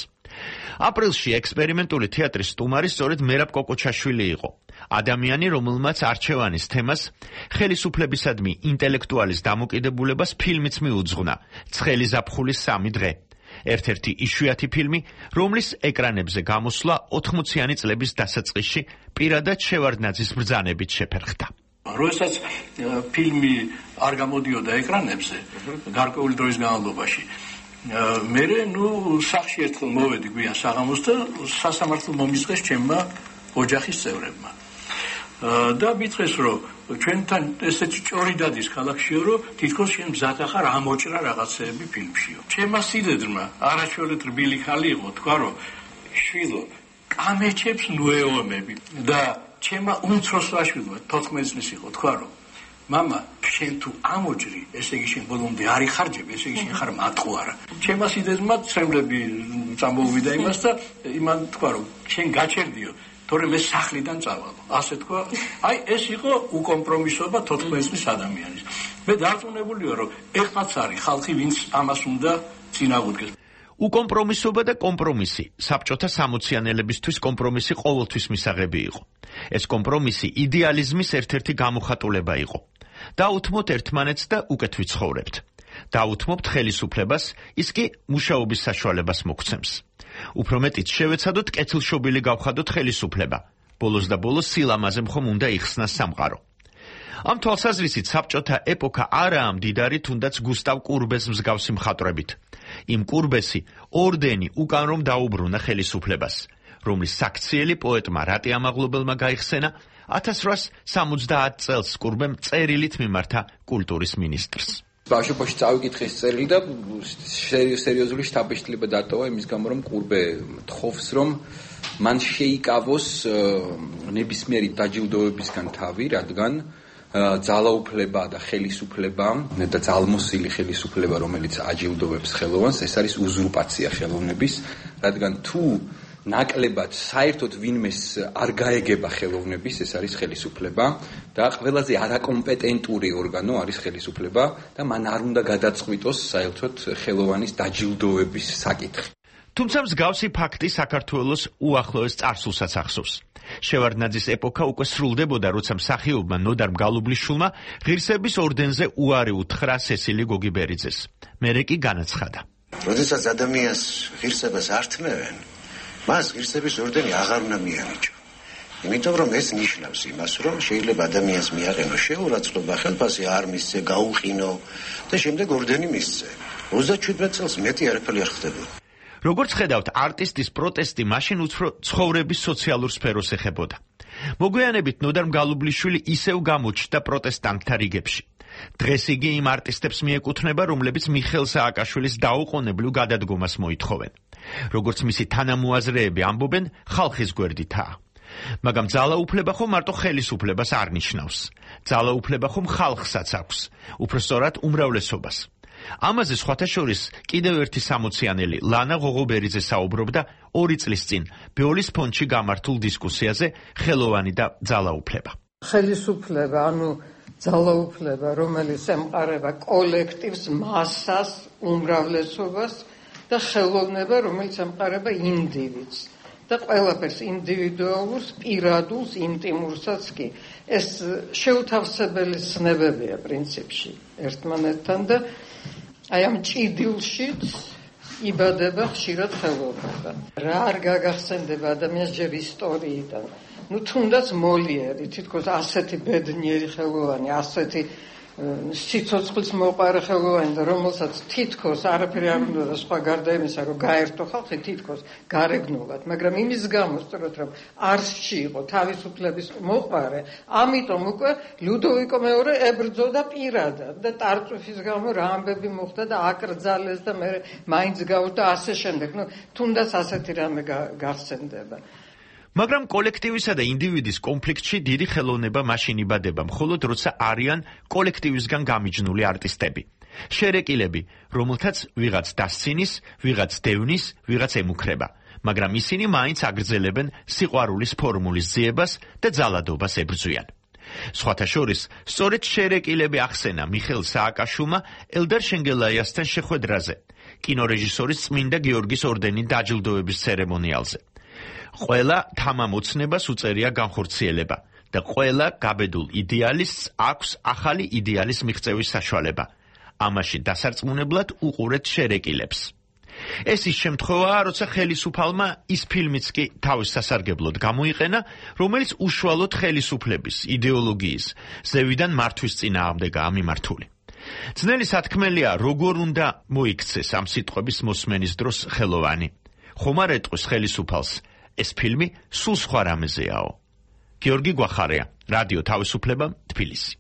აპრილში ექსპერიმენტული თეატრის სტუმარი სწორედ მერაბ კოკოჩაშვილი იყო. ადამიანი, რომელმაც არჩევანის თემას ხელისუფლებისადმი ინტელექტუალის დამოკიდებულებას ფილმიც მიუძღვნა ცხელი ზაფხულის 3 დღე. ერთ-ერთი იშვიათი ფილმი, რომლის ეკრანებზე გამოსვლა 80-იანი წლების დასაწყისში პირადად შევარდნაძის ბრძანებით შეფერხდა. როდესაც ფილმი არ გამოდიოდა ეკრანებზე გარკვეული დროის განმავლობაში, მე სახში ერთხელ მოვედი გვიან საღამოს და სასამართლო მომისწეს ჩემმა ოჯახის წევრებმა. და მითხრეს, რომ ჩვენთან ესეთი ჭორი დადის ქალაქშიო, რომ თითქოს შენ მზად ახარ ამოჭრა რაღაცეები ფილმშიო. ჩემმა სიდედრმა არაჩვეულით რბილი ხალი იყო, თქვა, რომ შვილო, კამეჩებს ნუეომები და ჩემმა უმცროს ვაშვილმა 14 წლის იყო, თქვა, რომ მამა, შენ თუ ამოჭრი, ესე იგი შენ ბოლომდე არ იხარჯები, ესე იგი შენ ხარ მატყუარა. ჩემმა სიდედრმა წრემლები წამოვიდა იმას და იმან თქვა, რომ შენ გაჩერდიო, თორემ მე სახლიდან წავალო. ასე თქვა, აი ეს იყო უკომპრომისობა 14 წლის ადამიანის. მე დარწმუნებული ვარ, რომ ეხლაც არის ხალხი, ვინც ამას უნდა წინააღმდეგეს. უკომპრომისობა და კომპრომისი საბჭოთა სამოციანელებისთვის კომპრომისი ყოველთვის მისაღები იყო. ეს კომპრომისი იდეალიზმის ერთ-ერთი გამოხატულება იყო. დაუთმოთ ერთმანეთს და უკეთ ვიცხოვრებთ. დაუთმობთ ხელისუფლებას, ის კი მუშაობის საშუალებას მოგცემს. უფრო მეტიც შევეცადოთ კეთილშობილი გავხადოთ ხელისუფლება. ბოლოს და ბოლოს სილამაზე მხომ უნდა იხსნას სამყარო. ამ თვალსაზრისით საბჭოთა ეპოქა არაა მდიდარი თუნდაც გუსტავ კურბეს მსგავსი მხატვრებით. იმ კურბესი ორდენი უკან რომ დაუბრუნა ხელისუფლებას, რომლის საქციელი პოეტმა რატი ამაღლობელმა გაიხსენა 1870 წელს კურბემ წერილით მიმართა კულტურის მინისტრს. ბავშვობაში წავიკითხე ეს წერილი და სერიოზული შთაბეჭდილება დატოვა იმის გამო, რომ კურბე თხოვს, რომ მან შეიკავოს ნებისმიერი დაჯილდოებისგან თავი, რადგან ძალაუფლება და ხელისუფლება და ძალმოსილი ხელისუფლება, რომელიც აჯილდოვებს ხელოვანს, ეს არის უზურპაცია ხელოვნების, რადგან თუ ნაკლებად საერთოდ ვინმეს არ გაეგება ხელოვნების, ეს არის ხელისუფლება და ყველაზე არაკომპეტენტური ორგანო არის ხელისუფლება და მან არ უნდა გადაწყვიტოს საერთოდ ხელოვანის დაჯილდოების საკითხი. თუმცა მსგავსი ფაქტი საქართველოს უახლოეს წარსულსაც ახსოვს. შევარდნაძის ეპოქა უკვე სრულდებოდა, როცა მსახიობმა ნოდარ მგალობლიშვილმა ღირსების ორდენზე უარი უთხრა სესილი გოგიბერიძეს. მერე კი განაცხადა. როდესაც ადამიანს ღირსებას არ თმევენ, მას ღირსების ორდენი აღარ უნდა მიანიჭო. იმიტომ რომ ეს ნიშნავს იმას, რომ შეიძლება ადამიანს მიაყენო შეურაცხყოფა, ხელფასი არ მისცე, გაუყინო და შემდეგ ორდენი მისცე. 37 წელს მეტი არაფერი არ ხდებოდა. როგორც ხედავთ, არტისტის პროტესტი მაშინ უფრო ცხოვრების სოციალურ სფეროს ეხებოდა. მოგვიანებით ნოდარ მგალობლიშვილი ისევ გამოჩნდა პროტესტანტთა რიგებში. დღეს იგი იმ არტისტებს მიეკუთვნება, რომლებიც მიხეილ სააკაშვილის დაუყოვნებლივ გადადგომას მოითხოვენ. როგორც მისი თანამოაზრეები ამბობენ, ხალხის გვერდითაა. მაგრამ ძალაუფლება ხომ მარტო ხელისუფლებას არ ნიშნავს. ძალაუფლება ხომ ხალხსაც აქვს, უფრო სწორად უმრავლესობას. ამაზე სხვათა შორის კიდევ ერთი სამოციანელი ლანა ღოღობერიძე საუბრობდა 2 წლის წინ ბეოლის ფონდში გამართულ დისკუსიაზე ხელოვანი და ძალაუფლება. ხელისუფლება, ანუ ძალაუფლება, რომელიც ემყარება კოლექტივს, მასას, უმრავლესობას და ხელოვნება, რომელიც ემყარება ინდივიდს და ყველაფერს ინდივიდუალურს, პირადულს, ინტიმურსაც კი. ეს შეუთავსებელი ცნებებია პრინციპში ერთმანეთთან და აი ამ ჭიდილშიც იბადება ხშირად ხელოვნება. რა არ გაგახსენდება ადამიანს ჯერ ისტორიიდან. თუნდაც მოლიერი, თითქოს ასეთი ბედნიერი ხელოვანი, ასეთი სიცოცხლის მოყარე ხელოვანი და რომელსაც თითქოს არაფერი არ უნდა და სხვა გარდა იმისა, რომ გაერთო ხალხი თითქოს გარეგნულად, მაგრამ იმის გამო სწორად რომ არსში იყო თავისუფლების მოყარე, ამიტომ უკვე ლუდოვიკო მეორე ებრძოდა პირადად და ტარწუφის გამო რა ამბები მოხდა და აკრძალეს და მე მაინც გავდა ასე შემდეგ. თუნდაც ასეთი რამე გახსენდება. მაგრამ კოლექტივისა და ინდივიდის კონფლიქტში დიდი ხელოვნება მაშინ იბადება, მხოლოდ როცა არიან კოლექტივისგან გამიჯნული არტისტები. შერეკილები, რომელთაც ვიღაც დასცინის, ვიღაც დევნის, ვიღაც ემუქრება, მაგრამ ისინი მაინც აგრძელებენ სიყვარულის ფორმულის ძიებას და ძალადობას ებრძვიან. სხვათა შორის, სწორედ შერეკილები ახსენა მიხეილ სააკაშვილმა ელდარ შენგელაიასთან შეხვედრაზე. კინორეჟისორის წმინდა გიორგის ორდენით დაჯილდოების ცერემონიალზე. ყველა თამამოცნებას უწერია განხორციელება და ყველა გაბედულ იდეალისტს აქვს ახალი იდეალის მიღწევის საშუალება. ამაში დასარწმუნებლად უყურეთ შერეკილებს. ეს ის შემთხვევაა, როცა ხელისუფალმა ის ფილმიც კი თავის სასარგებლოდ გამოიყენა, რომელიც უშუალოდ ხელისუფლების, იდეოლოგიის, ზევიდან მართვის წინააღმდეგაა მიმართული. ძნელი სათქმელია, როგორ უნდა მოიქცეს ამ სიტყვების მოსმენის დროს ხელოვანი. ხომ არ ეტყვის ხელისუფალს, ეს ფილმი სულ სხვა რამეზეაო. გიორგი გვახარია, რადიო თავისუფლება, თბილისი.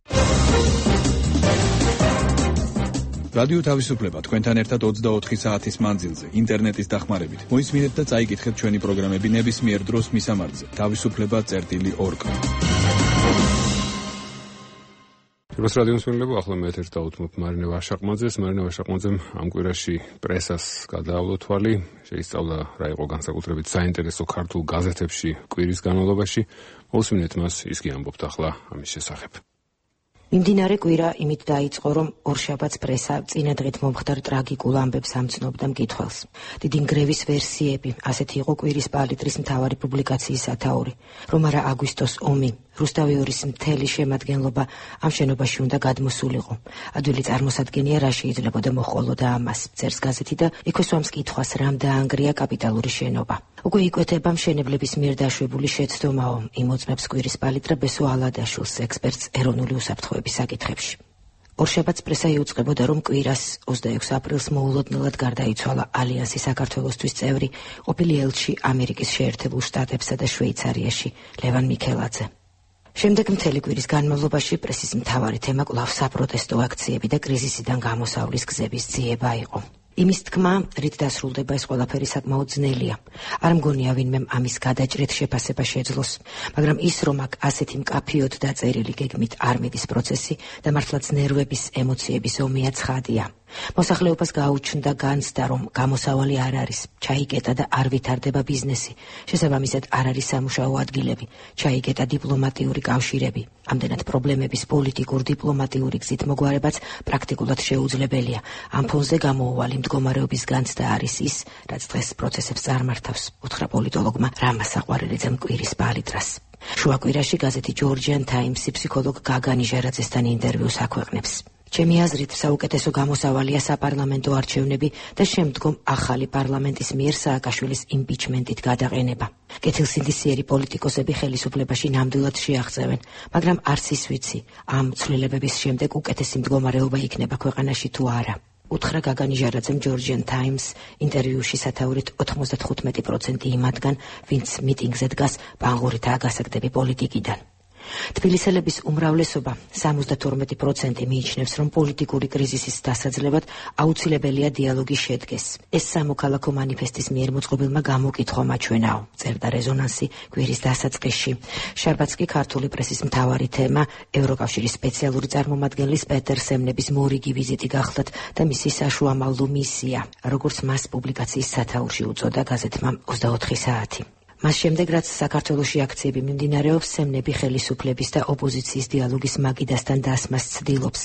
რადიო თავისუფლება თქვენთან ერთად 24 საათის მანძილზე ინტერნეტის დახმარებით. მოისმინეთ და წაიკითხეთ ჩვენი პროგრამები ნებისმიერ დროს მისამართზე. თავისუფლება.org. როს რადიოს მილება ახლა მე ერთ დაუთმობ მარინე ვაშაყმაძეს. მარინე ვაშაყმაძემ ამ კვირაში პრესას გადაავლო თვალი, შეისწავლა რა იყო განსაკუთრებით საინტერესო ქართულ გაზეთებში კვირის განმავლობაში. მოსმინეთ მას, ის კი ამბობთ ახლა ამის შესახებ. მიმდინარე კვირა იმით დაიწყო, რომ ორშაბათს პრესა წინადღით მომხდარ ტრაგიკულ ამბებს ამცნობდა მკითხველს. დიდი ნგრევის ვერსიები, ასეთი იყო კვირის პალიტრის მთავარი პუბლიკაციის სათაური, რომ არა აგვისტოს ომი, რუსთავი ორის მთელი შემადგენლობა ამ შენობაში უნდა გადმოსულიყო. ადვილი წარმოსადგენია, რა შეიძლებოდა მოჰყოლოდა ამას, წერს გაზეთი და იქვე სვამს კითხვას, რამ დაანგრია კაპიტალური შენობა. უკვე იკვეთება მშენებლების მიერ დაშვებული შეცდომაო, იმოწმებს კვირის პალიტრა ბესო ალადაშვილს, ექსპერტს ეროვნული უსაფრთხოების საკითხებში. ორშაბათს პრესა იუწყებოდა, რომ კვირას 26 აპრილს მოულოდნელად გარდაიცვალა ალიანსის საქართველოსთვის წევრი, ყოფილი ელჩი ამერიკის შეერთებულ შტატებსა და შვეიცარიაში ლევან მიქელაძე. შემდეგ მთელი კვირის განმავლობაში პრესის მთავარი თემა კვლავ საპროტესტო აქციები და კრიზისიდან გამოსავლის გზების ძიება იყო. იმის თქმა, რით დასრულდება ეს ყველაფერი საკმაოდ ძნელია. არ მგონია ვინმემ ამის გადაჭრით შეფასება შეძლოს, მაგრამ ის, რომ აქ ასეთი მკაფიოდ დაწერილი გეგმით არ მიდის პროცესი და მართლაც ნერვების, ემოციების ომია ცხადია. მოსახლეობას გაუჩნდა განცდა, რომ გამოსავალი არ არის, ჩაიგეტა და არ ვითარდება ბიზნესი, შესაბამისად არ არის სამუშაო ადგილები, ჩაიგეტა დიპლომატიური კავშირები. ამდენად პრობლემების პოლიტიკურ-დიპლომატიური გზით მოგვარებაც პრაქტიკულად შეუძლებელია. ამ ფონზე გამოუვალი მდგომარეობის განცდა არის ის, რაც დღეს პროცესებს წარმართავს, უთხრა პოლიტოლოგმა რამა საყვარელიძემ კვირის პალიტრას. შუაკვირაში გაზეთი Georgian Times-ი ფსიქოლოგ გაგანი ჟერაძესთან ინტერვიუს აქვეყნებს. ჩემი აზრით, საუკეთესო გამოსავალია საპარლამენტო არჩევნები და შემდგომ ახალი პარლამენტის მიერ სააკაშვილის იმპიჩმენტით გადაყენება. კეთილსინდისიერი პოლიტიკოსები ხელისუფლებაში ნამდვილად შეაღწევენ, მაგრამ არც ის ვიცი, ამ ცვლილებების შემდეგ უკეთესი მდგომარეობა იქნება ქვეყანაში თუ არა. უთხრა გაგანი ჟერაძემ Georgian Times ინტერვიუში სათაურით 95% იმათგან, ვინც მიტინგზე დგას, ბანღურითაა გასაგდები პოლიტიკიდან. თბილისელების უმრავლესობა 72% მიიჩნევს, რომ პოლიტიკური კრიზისის დასაძლებად აუცილებელია დიალოგის შედგეს. ეს სამოქალაქო მანიფესტის მიერ მოწყობილმა გამოკითხვა მაჩვენაო, წერდა რეზონანსი კვირის დასაწყისში. შაბათს კი ქართული პრესის მთავარი თემა ევროკავშირის სპეციალური წარმომადგენლის პეტერ სემნების მორიგი ვიზიტი გახლდათ და მისი საშუამავლო მისია, როგორც მას პუბლიკაციის სათაურში უწოდა გაზეთმა 24 საათი. მას შემდეგ, რაც საქართველოში აქციები მიმდინარეობს, სემნები ხელისუფლების და ოპოზიციის დიალოგის მაგიდასთან დასმას ცდილობს.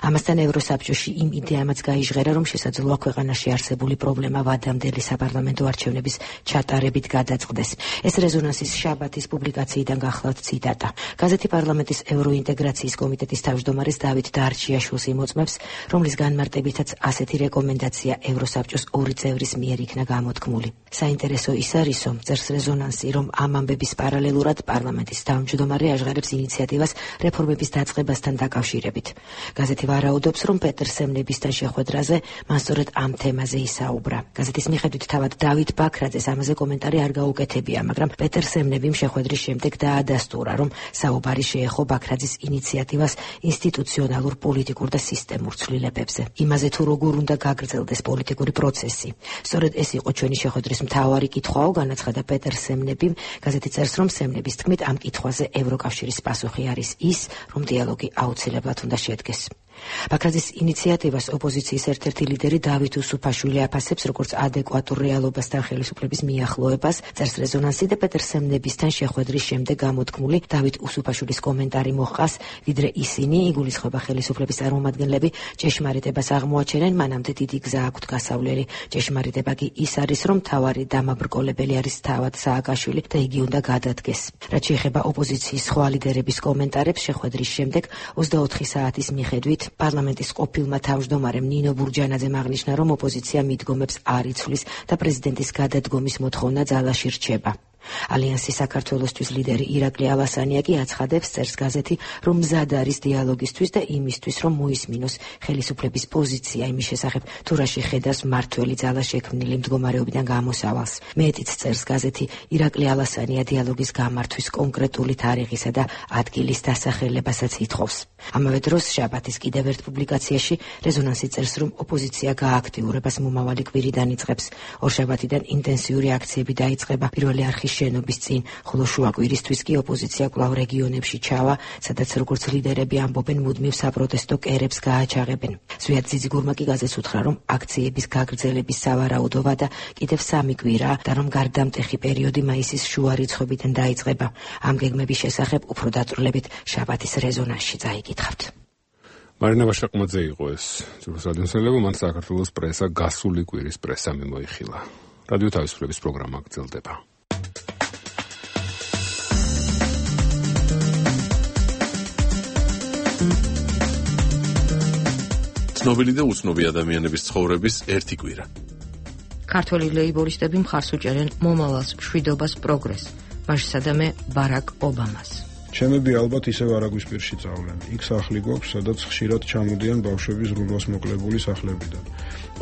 ამასთან ევროსაბჭოში იმ იდეამაც გაიჟღერა, რომ შესაძლოა ქვეყანაში არსებული პრობლემა ვადამდელი საპარლამენტო არჩევნების ჩატარებით გადაწყდეს. ეს რეზონანსის შაბათის პუბლიკაციიდან გახლავთ ციტატა. გაზეთი პარლამენტის ევროინტეგრაციის კომიტეტის თავმჯდომარეს დავით დარჩიაშვილს იმოწმებს, რომლის განმარტებითაც ასეთი რეკომენდაცია ევროსაბჭოს ორი წევრის მიერ იქნა გამოთქმული. საინტერესო ის არისო, წერს რეზონანსი, რომ ამ ამბების პარალელურად პარლამენტის თავმჯდომარე აჟღერებს ინიციატივას რეფორმების დაწყებასთან დაკავშირებით. გაზეთი ვარაუდობს, რომ პეტერ სემნებისთან შეხვედრაზე მან სწორედ ამ თემაზე ისაუბრა. გაზეთის მიხედვით თავად დავით ბაქრაძეს ამაზე კომენტარი არ გაუკეთებია, მაგრამ პეტერ სემნებიმ შეხვედრის შემდეგ დაადასტურა, რომ საუბარი შეეხო ბაქრაძის ინიციატივას ინსტიტუციონალურ, პოლიტიკურ და სისტემურ ცვლილებებზე. იმაზე თუ როგორ უნდა გაგრძელდეს პოლიტიკური პროცესი. სწორედ ეს იყო ჩვენი შეხვედრის მთავარი კითხვაო, განაცხადა პეტერ სემნებიმ. გაზეთი წერს, რომ სემნების თქმით ამ კითხვაზე ევროკავშირის პასუხი არის ის, რომ დიალოგი აუცილებლად უნდა შედგეს. ბაქრაძის ინიციატივას ოპოზიციის ერთ-ერთი ლიდერი დავით უსუფაშვილი აფასებს როგორც ადეკვატურ რეალობასთან ხელისუფლების მიახლოებას. წერს რეზონანსი და პეტერ სემნებისთან შეხვედრის შემდეგ გამოთქმული დავით უსუფაშვილის კომენტარი მოჰყავს, ვიდრე ისინი იგულისხმება ხელისუფლების წარმომადგენლები ჭეშმარიტებას აღმოაჩენენ, მანამდე დიდი გზა აქვთ გასავლელი. ჭეშმარიტება კი ის არის, რომ მთავარი დამაბრკოლებელი არის თავად სააკაშვილი და იგი უნდა გადადგეს. რაც შეეხება ოპოზიციის სხვა ლიდერების კომენტარებს, შეხვედრის შემდეგ 24 საათის მიხედვით პარლამენტის ყოფილმა თავმჯდომარემ ნინო ბურჯანაძემ აღნიშნა, რომ ოპოზიცია მიდგომებს არ იცვლის და პრეზიდენტის გადადგომის მოთხოვნა ძალაში რჩება. ალიანსის საქართველოსთვის ლიდერი ირაკლი ალასანია კი აცხადებს, წერს გაზეთი, რომ მზად არის დიალოგისთვის და იმისთვის, რომ მოისმინოს ხელისუფლების პოზიცია იმის შესახებ, თუ რაში ხედავს მმართველი ძალა შექმნილი მდგომარეობიდან გამოსავალს. მეტიც, წერს გაზეთი, ირაკლი ალასანია დიალოგის გამართვის კონკრეტული თარიღისა და ადგილის დასახელებასაც ითხოვს. ამავე დროს შაბათის კიდევ ერთ პუბლიკაციაში რეზონანსი წერს, რომ ოპოზიცია გააქტიურებას მომავალი კვირიდან იწყებს. ორშაბათიდან ინტენსიური აქციები დაიწყება პირველი არხის შენობის წინ, ხოლო შუა კვირისთვის კი ოპოზიცია კვლავ რეგიონებში ჩავა, სადაც როგორც ლიდერები ამბობენ, მუდმივ საპროტესტო კერებს გააჩაღებენ. ზვიად ძიძიგურმა კი გაზეთს უთხრა, რომ აქციების გაგრძელების სავარაუდოა და კიდევ 3 კვირაა და რომ გარდამტეხი პერიოდი მაისის შუა რიცხვებიდან დაიწყება. ამ გეგმების შესახებ უფრო დაწვრილებით შაბათის რეზონანსში წაიკითხავთ. მარინა ვაშაკმაძე იყო ეს ძროს რადიოსმენელები, მან საქართველოს პრესა გასული კვირის პრესა მიმოიხილა. რადიო თავისუფლების პროგრამა გრძელდება. ცნობილი და უცნობი ადამიანების ცხოვრების ერთი კვირა. ქართველი ლეიბორისტები მხარს უჭერენ მომავალს, მშვიდობას, პროგრესს, მაშსადამე ბარაკ ობამას. ჩემები ალბათ ისევ არაგვისპირში წავლენ. იქ სახლი გვაქვს, სადაც ხშირად ჩამოდიან ბავშვები ზრუნვას მოკლებული სახლებიდან.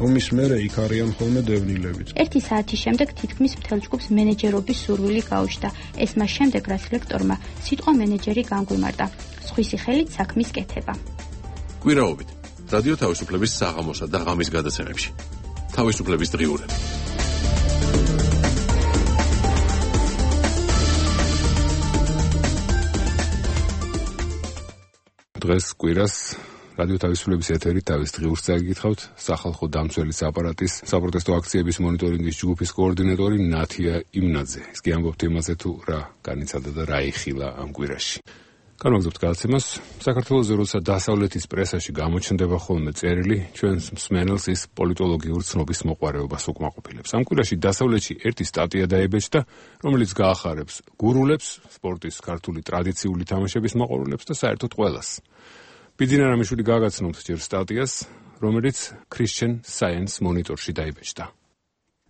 ომის მერე იქ არიან ხოლმე დევნილებიც. ერთი საათის შემდეგ თითქმის მთელ ჯგუფს მენეჯერობის სურვილი გაუჩნდა. ეს მას შემდეგ, რაც ლექტორმა სიტყვა მენეჯერი განგვიმარტა. სხვისი ხელით საქმის კეთება. კვირაობით რადიო თავისუფლების საღამოსა და ღამის გადაცემებში. თავისუფლების დღიურები. დღეს კვირას რადიო თავისუფლების ეთერით თავის დღიურს წაიკითხავთ. სახალხო დამცველის აპარატის საპროტესტო აქციების მონიტორინგის ჯგუფის კოორდინატორი ნათია იმნაძე. ის კი ამბობთ იმაზე, თუ რა განიცადა და რა იხილა ამ კვირაში. განვაგრძობთ გადაცემას. საქართველოს როცა დასავლეთის პრესაში გამოჩნდება ხოლმე წერილი, ჩვენს მსმენელს ის პოლიტოლოგიური ცნობის მოყვარეობას უკმაყოფილებს. ამ კვირაში დასავლეთში ერთი სტატია დაებეჭდა, რომელიც გაახარებს გურულებს, სპორტის ქართული ტრადიციული თამაშების მოყვარულებს და საერთოდ ყველას. ბიძინა რამიშვილი გააგაცნოთ ჯერ სტატიას, რომელიც Christian Science Monitor-ში დაიბეჭდა.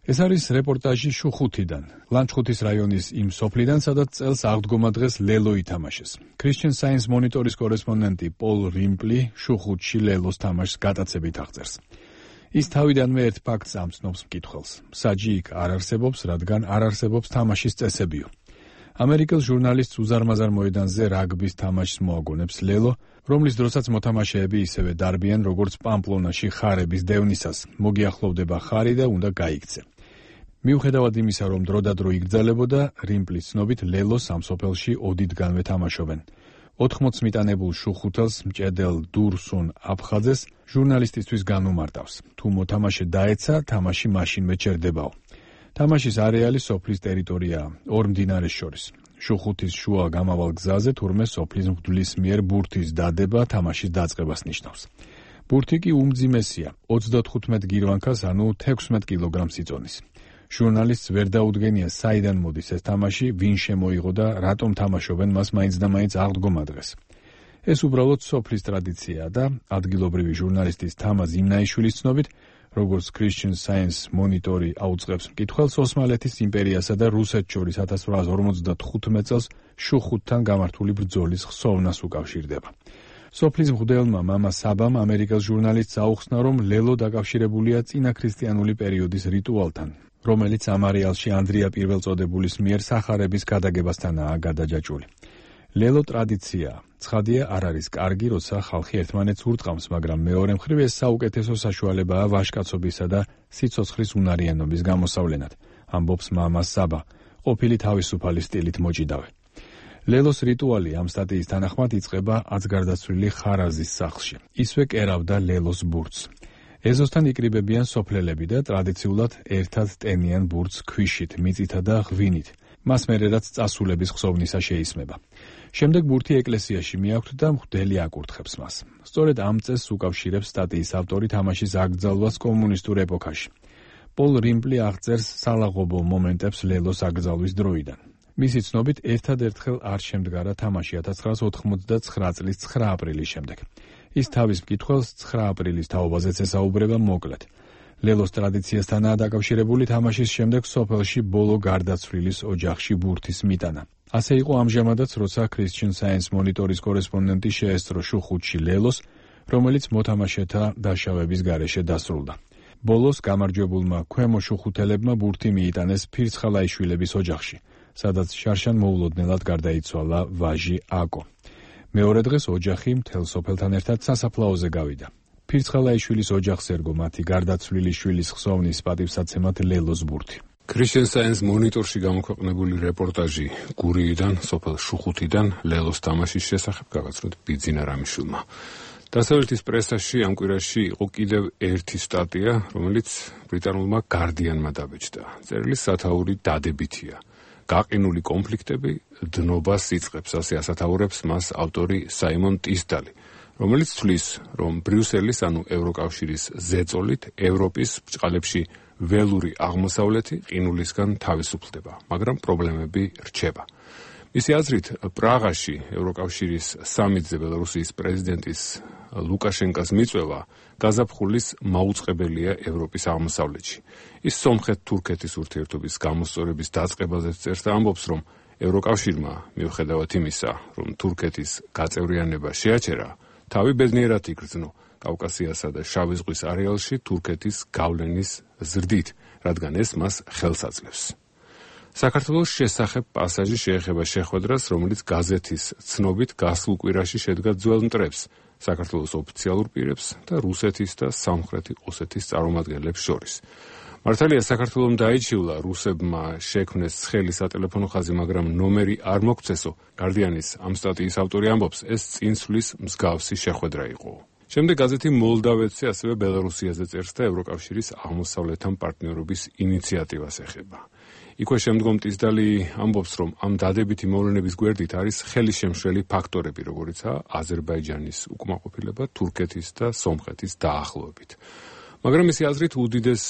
ეს არის რეპორტაჟი შუხუთიდან, ლანჩხუთის რაიონის იმ სოფლიდან, სადაც წელს აღდგომა დღეს ლელო ითამაშეს. Christian Science Monitor-ის კორესპონდენტი პოლ რიმპლი შუხუთში ლელოს თამაშს გატაცებით აღწერს. ის თავიდანვე ერთ ფაქტს ამცნობს მკითხველს. საჯი იქ არ არსებობს, რადგან არ არსებობს თამაშის წესებიო. ამერიკელ ჟურნალისტს უზარმაზარ მოედანზე რაგბის თამაშს მოაგონებს ლელო, რომლის დროსაც მოთამაშეები ისევე დარბიან, როგორც პამპლონაში ხარების დევნისას. მოგიახლოვდება ხარი და უნდა გაიქცე. მიუხედავად იმისა, რომ დროდადრო იგრძელებოდა, რიმპლის ცნობით ლელოს ამ სოფელში ოდითგანვე თამაშობენ. 80 მიტანებულ შუხუთელს მჭედელ დურსუნ აფხაძეს ჟურნალისტისთვის განუმარტავს. თუ მოთამაშე დაეცა, თამაში მაშინვე ჩერდებაო. თამაშის არეალი სოფლის ტერიტორიაა, ორ მდინარეს შორის. შუხუთის შუა გამავალ გზაზე თურმე სოფლის მღვდლის მიერ ბურთის დადება თამაშის დაწყებას ნიშნავს. ბურთი კი უმძიმესია, 35 გირვანქას, ანუ 16 კილოგრამს იწონის. ჟურნალისტს ვერ დაუდგენია, საიდან მოდის ეს თამაში, ვინ შემოიღო და რატომ თამაშობენ მას მაინც და მაინც აღდგომა დღეს. ეს უბრალოდ სოფლის ტრადიციაა და ადგილობრივი ჟურნალისტის თამაზ იმნაიშვილის ცნობით, როგორც Christian Science Monitor-ი აუწყებს მკითხველს, ოსმალეთის იმპერიასა და რუსეთს შორის 1855 წელს შუხუთთან გამართული ბრძოლის ხსოვნას უკავშირდება. სოფლის მღვდელმა მამა საბამ ამერიკელ ჟურნალისტს აუხსნა, რომ ლელო დაკავშირებულია წინაქრისტიანული პერიოდის რიტუალთან, რომელიც ამ არეალში ანდრია პირველწოდებულის მიერ სახარების გადაგებასთანაა გადაჯაჭვული. ლელო ტრადიციაა. ცხადია, არ არის კარგი, როცა ხალხი ერთმანეთს ურტყამს, მაგრამ მეორე მხრივ ეს საუკეთესო საშუალებაა ვაჟკაცობისა და სიცოცხლის უნარიანობის გამოსავლენად, ამბობს მამა საბა, ყოფილი თავისუფალი სტილით მოჭიდავე. ლელოს რიტუალი ამ სტატიის თანახმად იწყება აცგარდაცვლილი ხარაზის სახლში. ისვე კერავდა ლელოს ბურთს. ეზოსთან იკრიბებიან სოფლელები და ტრადიციულად ერთად ტენიან ბურთს ქვიშით, მიწითა და ღვინით. მას მერე რაც წასულების ხსოვნისა შეისმება. შემდეგ ბურთი ეკლესიაში მიაქვთ და მღვდელი აკურთხებს მას. სწორედ ამ წესს უკავშირებს სტატიის ავტორი თამაშის აკრძალვას კომუნისტურ ეპოქაში. პოლ რიმპლი აღწერს სალაღობო მომენტებს ლელოს აკრძალვის დროიდან. მისი ცნობით ერთადერთხელ არ შემდგარა თამაში 1989 წლის 9 აპრილის შემდეგ. ის თავის მკითხველს 9 აპრილის თაობაზეც ესაუბრება მოკლედ. ლელოს ტრადიციასთანაა დაკავშირებული თამაშის შემდეგ სოფელში ბოლო გარდაცვლილის ოჯახში ბურთის მიტანა. ასე იყო ამჟამადაც, როცა Christian Science მონიტორის კორესპონდენტი შეესწრო შუხუთში ლელოს, რომელიც მოთამაშეთა დაშავების გარეშე დასრულდა. ბოლოს გამარჯვებულმა ქვემო შუხუთელებმა ბურთი მიიტანეს ფირცხალაიშვილების ოჯახში, სადაც შარშან მოულოდნელად გარდაიცვალა ვაჟი აკო. მეორე დღეს ოჯახი მთელ სოფელთან ერთად სასაფლაოზე გავიდა. ფირცხალაიშვილის ოჯახს ერგო მათი გარდაცვლილი შვილის ხსოვნის პატივსაცემად ლელოს ბურთი. Christian Science მონიტორში გამოქვეყნებული რეპორტაჟი გურიიდან, სოფელ შუხუთიდან ლელოს თამაშის შესახებ გაგაცნოთ ბიძინა რამიშვილმა. დასავლეთის პრესაში ამ კვირაში იყო კიდევ ერთი სტატია, რომელიც ბრიტანულმა Guardian-მა დაბეჭდა. წერილის სათაური დადებითია. გაყინული კონფლიქტები დნობას იწყებს, ასე ასათაურებს მას ავტორი საიმონ ტისდალი, რომელიც თვლის, რომ ბრიუსელის, ანუ ევროკავშირის ზეწოლით ევროპის ბრჭყალებში ველური აღმოსავლეთი ყინულისგან თავისუფლდება, მაგრამ პრობლემები რჩება. მისი აზრით, პრაღაში ევროკავშირის სამიტზე ბელორუსიის პრეზიდენტის ლუკაშენკას მიწვევა გაზაფხულის მაუწყებელია ევროპის აღმოსავლეთში. ის სომხეთ-თურქეთის ურთიერთობის გამოსწორების დაწყებაზეც წერს და ამბობს, რომ ევროკავშირმა, მიუხედავად იმისა, რომ თურქეთის გაწევრიანება შეაჩერა, თავი ბედნიერად იგრძნო კავკასიასა და შავი ზღვის არეალში თურქეთის გავლენის ზრდით, რადგან ეს მას ხელს აძლევს. საქართველოს შესახებ პასაჟი შეეხება შეხვედრას, რომელიც გაზეთის ცნობით გასულ კვირაში შედგა ძველ მტრებს, საქართველოს ოფიციალურ პირებს და რუსეთის და სამხრეთი ოსეთის წარმომადგენლებს შორის. მართალია საქართველომ დაიჩივლა რუსებმა შექმნეს ცხელი სატელეფონო ხაზი, მაგრამ ნომერი არ მოგცესო. Guardian-ის ამ სტატიის ავტორი ამბობს, ეს წინსვლის მსგავსი შეხვედრა იყო. შემდეგ გაზეთი მოლდავეთზე ასევე ბელორუსიაზე წერს და ევროკავშირის აღმოსავლეთთან პარტნიორობის ინიციატივას ეხება. იქვე შემდგომ ტისდალი ამბობს, რომ ამ დადებითი მოვლენების გვერდით არის ხელისშემშლელი ფაქტორები, როგორიცაა აზერბაიჯანის უკმაყოფილება თურქეთის და სომხეთის დაახლოებით. მაგრამ მისი აზრით უდიდეს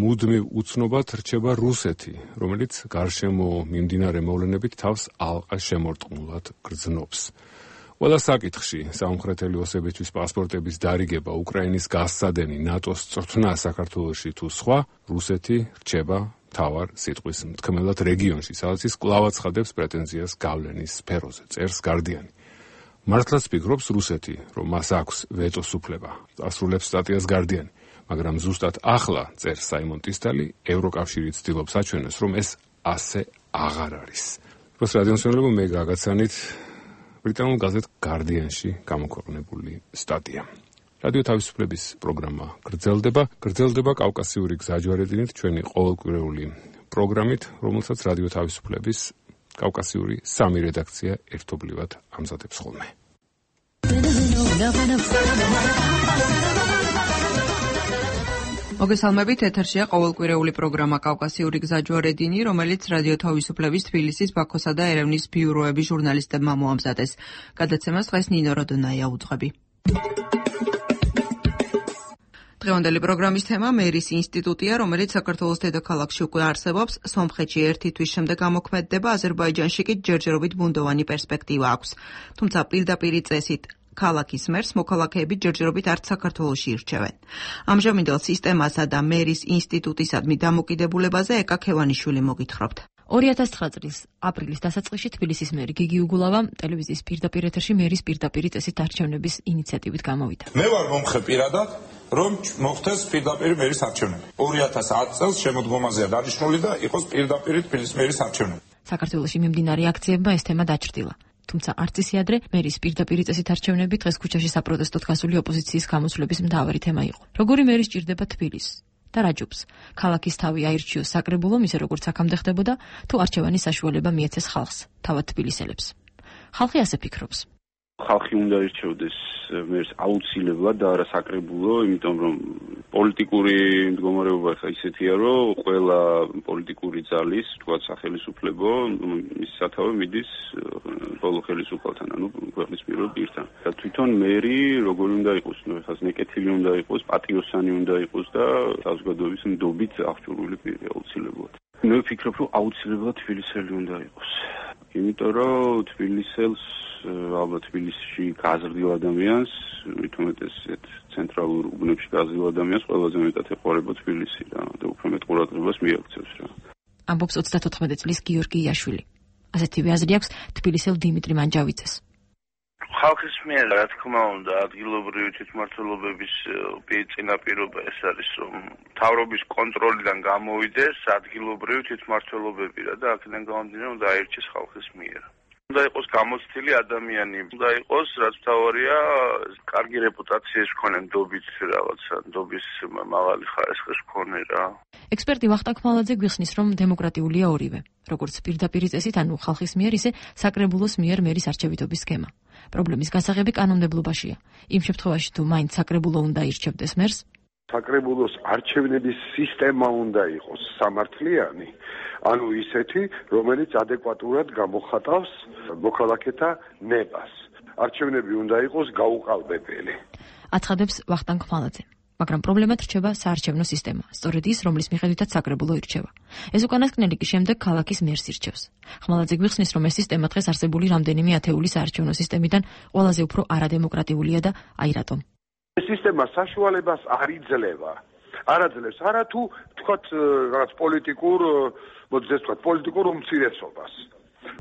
მუდმივ უცნობად რჩება რუსეთი, რომელიც გარშემო მიმდინარე მოვლენებით თავს ალყა შემორტყმულად გრძნობს. ყველა საკითხში სამხრეთელი ოსებისთვის პასპორტების დარიგება, უკრაინის გასცადენი, ნატოს წვრთნა საქართველოში თუ სხვა, რუსეთი რჩება მთავარ სიტყვის მთქმელად რეგიონში, სადაც ის კვლავ აცხადებს პრეტენზიას გავლენის სფეროზე, წერს Guardian-ი. მართლაც ფიქრობს რუსეთი, რომ მას აქვს ვეტოს უფლება, ასრულებს სტატიას Guardian-ი, მაგრამ ზუსტად ახლა, წერს საიმონ ტისდალი, ევროკავშირი ცდილობს აჩვენოს, რომ ეს ასე აღარ არის. დროს რადიომსმენელებო, მე გაგაცანით ბრიტანულ გაზეთ Guardian-ში გამოქვეყნებული სტატია. რადიო თავისუფლების პროგრამა გრძელდება კავკასიური გზაჯვარედინით, ჩვენი ყოველკვირეული პროგრამით, რომელსაც რადიო თავისუფლების კავკასიური 3 რედაქცია ერთობლივად ამზადებს ხოლმე. მოგესალმებით, ეთერშია ყოველკვირეული პროგრამა კავკასიური გზაჯვარედინი, რომელიც რადიო თავისუფლების თბილისის, ბაქოსა და ერევნის ბიუროების ჟურნალისტებმა მოამზადეს. გადაცემას დღეს ნინო როდონაია უძღვები. დღევანდელი პროგრამის თემა მერის ინსტიტუტია, რომელიც საქართველოს დედაქალაქში უკვე არსებობს, სომხეთში ერთი თვის შემდეგ ამოქმედდება, აზერბაიჯანში კი ჯერჯერობით ბუნდოვანი პერსპექტივა აქვს. თუმცა პირდაპირი წესით ქალაქის მერს მოქალაქეები ჯერჯერობით არც საქართველოში ირჩევენ. ამჟამინდელ სისტემასა და მერის ინსტიტუტისადმი დამოკიდებულებაზე ეკა ქევანიშვილი მოგითხრობთ. 2009 წლის აპრილის დასაწყისში თბილისის მერი გიგი უგულავა ტელევიზიის პირდაპირ ეთერში მერის პირდაპირი წესით არჩევნების ინიციატივით გამოვიდა. მე ვარ მომხე პირადად, რომ მოხდეს პირდაპირ მერის არჩევნები. 2010 წელს შემოდგომაზეა დანიშნული და იყოს პირდაპირ თბილისის მერის არჩევნები. საქართველოში მიმდინარე აქციებმა ეს თემა დაჩრდილა. თუმცა არც ისე ადრე მერის პირდაპირ წესით არჩევნები დღეს ქუჩაში საპროტესტოდ გასული ოპოზიციის გამოსვლების მთავარი თემა იყო. როგორი მერი სჭირდება თბილისს? და რა ჯობს? ქალაქის თავი აირჩიოს საკრებულომ, ისე როგორც აქამდე ხდებოდა, თუ არჩევანის საშუალება მიეცეს ხალხს, თავად თბილისელებს. ხალხი ასე ფიქრობს. ხალხი უნდა ირჩევდეს მერს აუცილებლად და არა საკრებულო, იმიტომ რომ პოლიტიკური მდგომარეობა ხა ისეთია, რომ ყველა პოლიტიკური ძალის, თქვათ სახელმწიფო, მის სათავე მიდის ბოლო ხელისუფალთან, ანუ ქვეყნის პირველ პირთან. და თვითონ მერი როგორი უნდა იყოს, ნუ ხა ნეკეთილი უნდა იყოს, პატიოსანი უნდა იყოს და საზოგადოების ნდობით აღჭურვილი პირი აუცილებლად. მე ვფიქრობ, რომ აუცილებლად თბილისელი უნდა იყოს. იმიტომ რომ თბილისელს ალბათ თბილისში გაზრდილ ადამიანს, მithumetes ცენტრალურ უბნებში გაზრდილ ადამიანს ყველაზე მეტად ეყურება თბილისი და უფრო მეტ ყურადღებას მიაქცევს რა. ამბობს 34 წლის გიორგი იაშვილი. ასეთივე აზრი აქვს თბილისელ დიმიტრი მანჯავიძეს. ხალხის მიერ რა თქმა უნდა ადგილობრივი თვითმმართველობების წინაპირობა ეს არის რომ მთავრობის კონტროლიდან გამოვიდეს ადგილობრივი თვითმმართველობები რა და აქედან გამომდინარე უნდა აირჩეს ხალხის მიერ. უნდა იყოს გამოცდილი ადამიანი, უნდა იყოს რაც მთავარია კარგი რეპუტაციის მქონე ნდობით რაღაცა, ნდობის მაღალი ხარისხის მქონე რა. ექსპერტი ვახტანგ ხმალაძე გვიხსნის რომ დემოკრატიულია ორივე, როგორც პირდაპირი წესით, ანუ ხალხის მიერ, ისე საკრებულოს მიერ მერის არჩევითობის სქემა. პრობლემის გასაღები კანონმდებლობაშია. იმ შემთხვევაში თუ მაინც საკრებულო უნდა ირჩევდეს მერს, საკრებულოს არჩევნების სისტემა უნდა იყოს სამართლიანი, ანუ ისეთი, რომელიც ადეკვატურად გამოხატავს მოქალაქეთა ნებას. არჩევნები უნდა იყოს გაუყალბებელი. აცხადებს ვახტანგ ხმალაძე. მაგრამ პრობლემად რჩება საარჩევნო სისტემა, სწორედ ის, რომლის მიხედვითაც საკრებულო ირჩევა. ეს უკანასკნელი კი შემდეგ ქალაქის მერს ირჩევს. ხმალაძე გვიხსნის, რომ ეს სისტემა დღეს არსებული რამდენიმე ათეული საარჩევნო სისტემიდან ყველაზე უფრო არადემოკრატიულია და აი რატომ. ეს სისტემა საშუალებას არ იძლევა. არ აძლევს არა თუ თქვათ რაღაც პოლიტიკურ უმცირესობას.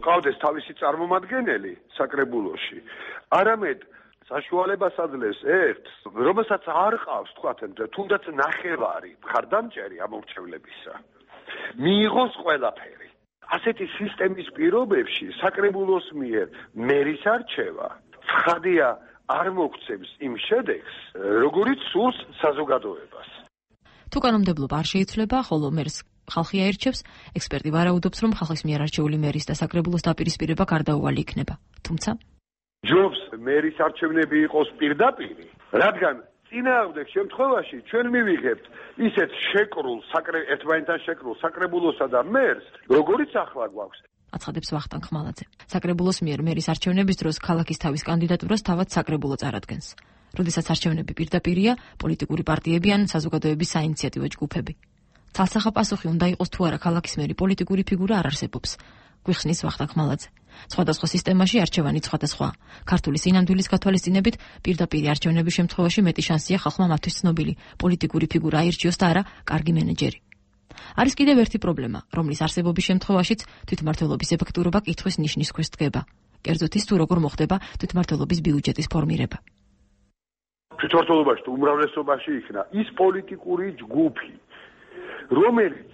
ყავდეს თავისი წარმომადგენელი საკრებულოში. არამედ საშუალებას აძლევს ერთს, რომელსაც არ ყავს თქვათ თუნდაც ნახევარი მხარდამჭერი ამორჩევლებისა. მიიღოს ყველაფერი. ასეთი სისტემის პირობებში საკრებულოს მიერ მერის არჩევა ცხადია არ მოგცემს იმ შედეგს, როგორიც სურს საზოგადოებას. თუ კანონმდებლობა არ შეიცვლება, ხოლო მერს ხალხი აირჩევს, ექსპერტი ვარაუდობს, რომ ხალხის მიერ არჩეული მერის და საკრებულოს დაპირისპირება გარდაუვალი იქნება. თუმცა ჯობს მერის არჩევნები იყოს პირდაპირი, რადგან წინააღმდეგ შემთხვევაში ჩვენ მივიღებთ ისეთ შეკრულ ერთმანეთთან შეკრულ საკრებულოსა და მერს, როგორიც ახლა გვაქვს. აცხადებს ვახტანგ ხმალაძე. საკრებულოს მიერ მერის არჩევნების დროს ქალაქის თავის კანდიდატურას თავად საკრებულო წარადგენს. როდესაც არჩევნები პირდაპირია, პოლიტიკური პარტიები ან საზოგადოების საინიციატივო ჯგუფები. თალსახა პასუხი უნდა იყოს თუ არა ქალაქის მერი პოლიტიკური ფიგურა არ არსებობს. გვიხსნის ვახტანგ ხმალაძე. სხვადასხვა სისტემაში არჩევანი სხვადასხვა. ქართული სინამდვილის გათვალისწინებით პირდაპირი არჩევნების შემთხვევაში მეტი შანსია ხალხმა მათთვის ცნობილი პოლიტიკური ფიგურა აირჩიოს და არა კარგი მენეჯერი. არის კიდევ ერთი პრობლემა, რომლის არსებობის შემთხვევაშიც თვითმმართველობის ეფექტურობა კითხვის ნიშნის ქვეშ დგება. კერძოდ ის თუ როგორ მოხდება თვითმმართველობის ბიუჯეტის ფორმირება. თვითმმართველობაში თუ უმრავლესობაში იქნა ის პოლიტიკური ჯგუფი, რომელიც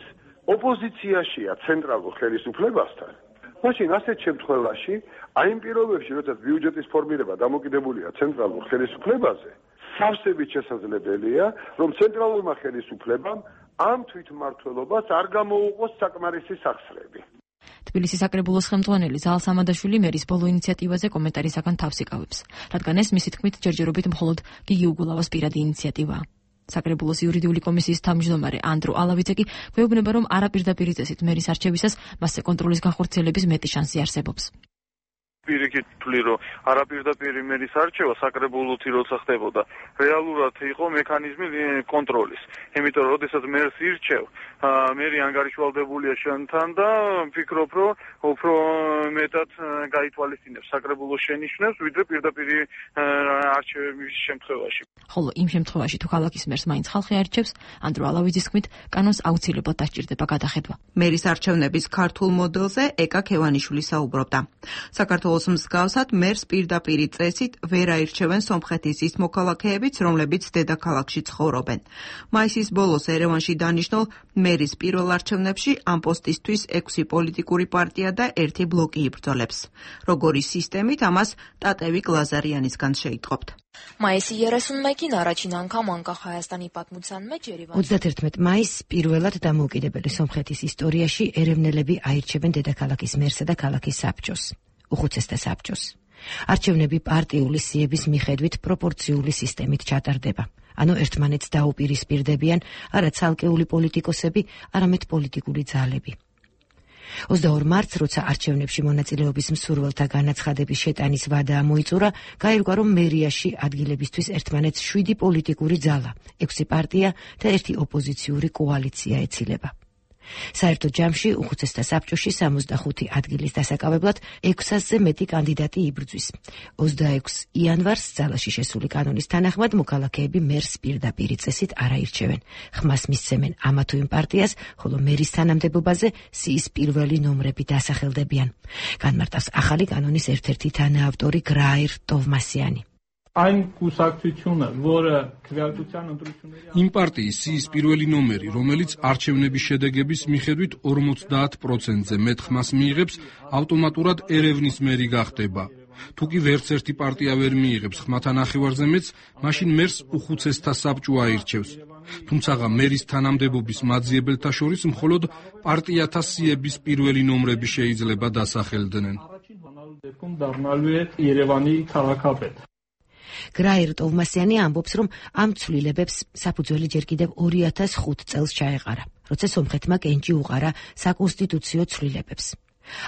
ოპოზიციაშია ცენტრალურ ხელისუფლებასთან, მაშინ ასეთ შემთხვევაში, აი იმ პირობებში, როდესაც ბიუჯეტის ფორმირება დამოკიდებულია ცენტრალურ ხელისუფლებაზე, სავსებით შესაძლებელია, რომ ცენტრალურმა ხელისუფლებამ ამ თვითმმართველობას არ გამოუყოს საკმარისი სახსრები. თბილისის საკრებულოს ხელმძღვანელი ზაალ სამადაშვილი მერის ბოლო ინიციატივაზე კომენტარისაგან თავს იკავებს, რადგან ეს მისი თქმით ჯერჯერობით მხოლოდ გიგი უგულავას პირადი ინიციატივაა. საკრებულოს იურიდიული კომისიის თავმჯდომარე ანდრო ალავიძე კი გვეუბნება, რომ არაპირდაპირი წესით მერის არჩევისას მასზე კონტროლის განხორციელების მეტი შანსი არსებობს. პირიქით ვთვლი, რომ არაპირდაპირი მერის არჩევა საკრებულოთი როცა ხდებოდა, რეალურად იყო მექანიზმი კონტროლის. იმიტომ რომ როდესაც მერს ირჩევ, მერი ანგარიშვალდებულია შენთან და ვფიქრობ, რომ უფრო მეტად გაითვალისწინებს საკრებულოს შენიშვნებს, ვიდრე პირდაპირი არჩევების შემთხვევაში. ხოლო იმ შემთხვევაში თუ ქალაქის მერს მაინც ხალხი არჩევს, ანდრო ალავიძის თქმით, კანონს აუცილებლად დასჭირდება გადახედვა. მერის არჩევნების ქართულ მოდელზე ეკა ქევანიშვილი საუბრობდა. საქართველოს მსგავსად მერს პირდაპირი წესით ვერ აირჩევენ სომხეთის ის მოქალაქეებიც, რომლებიც დედაქალაქში ცხოვრობენ. მაისის ბოლოს ერევანში დანიშნულ მერის პირველ არჩევნებში ამ პოსტისთვის 6 პოლიტიკური პარტია და 1 ბლოკი იბრძოლებს. როგორი სისტემით ამას ტატევიკ ლაზარიანისგან შეიტყობთ. მაისი ერასუნმეკი ნარაჩინანკა მანკა ხაიასტანი პატმუცანმე ჯერივან 31 მაისს პირველად დამოუკიდებელი სომხეთის ისტორიაში ერევნელები აირჩევენ დედაქალაქის მერსა და ქალაქის საბჭოს. უხუცესთა საბჭოს. არჩევნები პარტიული სიების მიხედვით პროპორციული სისტემით ჩატარდება. ანუ ერთმანეთს დაუპირისპირდებიან არა ცალკეული პოლიტიკოსები, არამედ პოლიტიკური ძალები. 22 მარტს, როცა არჩევნებში მონაწილეობის მსურველთა განაცხადების შეტანის ვადა მოიწურა, გაირკვა, რომ მერიაში ადგილებისთვის ერთმანეთს 7 პოლიტიკური ძალა, 6 პარტია და 1 ოპოზიციური კოალიცია ეცილება. საერთო ჯამში უხუცესთა საბჭოში 65 ადგილის დასაკავებლად 600-ზე მეტი კანდიდატი იბრძვის. 26 იანვარს ძალაში შესული კანონის თანახმად მოქალაქეები მერს პირდაპირი წესით არ აირჩევენ. ხმას მისცემენ ამა თუ იმ პარტიას, ხოლო მერის თანამდებობაზე სიის პირველი ნომრები დასახელდებიან. განმარტავს ახალი კანონის ერთ-ერთი თანაავტორი გრაირ ტოვმასიანი. იმ პარტიის სიის პირველი ნომერი, რომელიც არჩევნების შედეგების მიხედვით 50%-ზე მეტ ხმას მიიღებს, ავტომატურად ერევნის მერი გახდება. თუ კი ვერც ერთი პარტია ვერ მიიღებს ხმათა ნახევარზე მეტს, მაშინ მერს უხუცესთა საბჭო აირჩევს. თუმცა მერის თანამდებობის მაძიებელთა შორის მხოლოდ პარტიათა სიების პირველი ნომრები შეიძლება დასახელდნენ. გრაირ ტოვმასიანი ამბობს, რომ ამ ცვლილებებს საფუძველი ჯერ კიდევ 2005 წელს ჩაეყარა, როცა სომხეთმა კენჭი უყარა საკონსტიტუციო ცვლილებებს.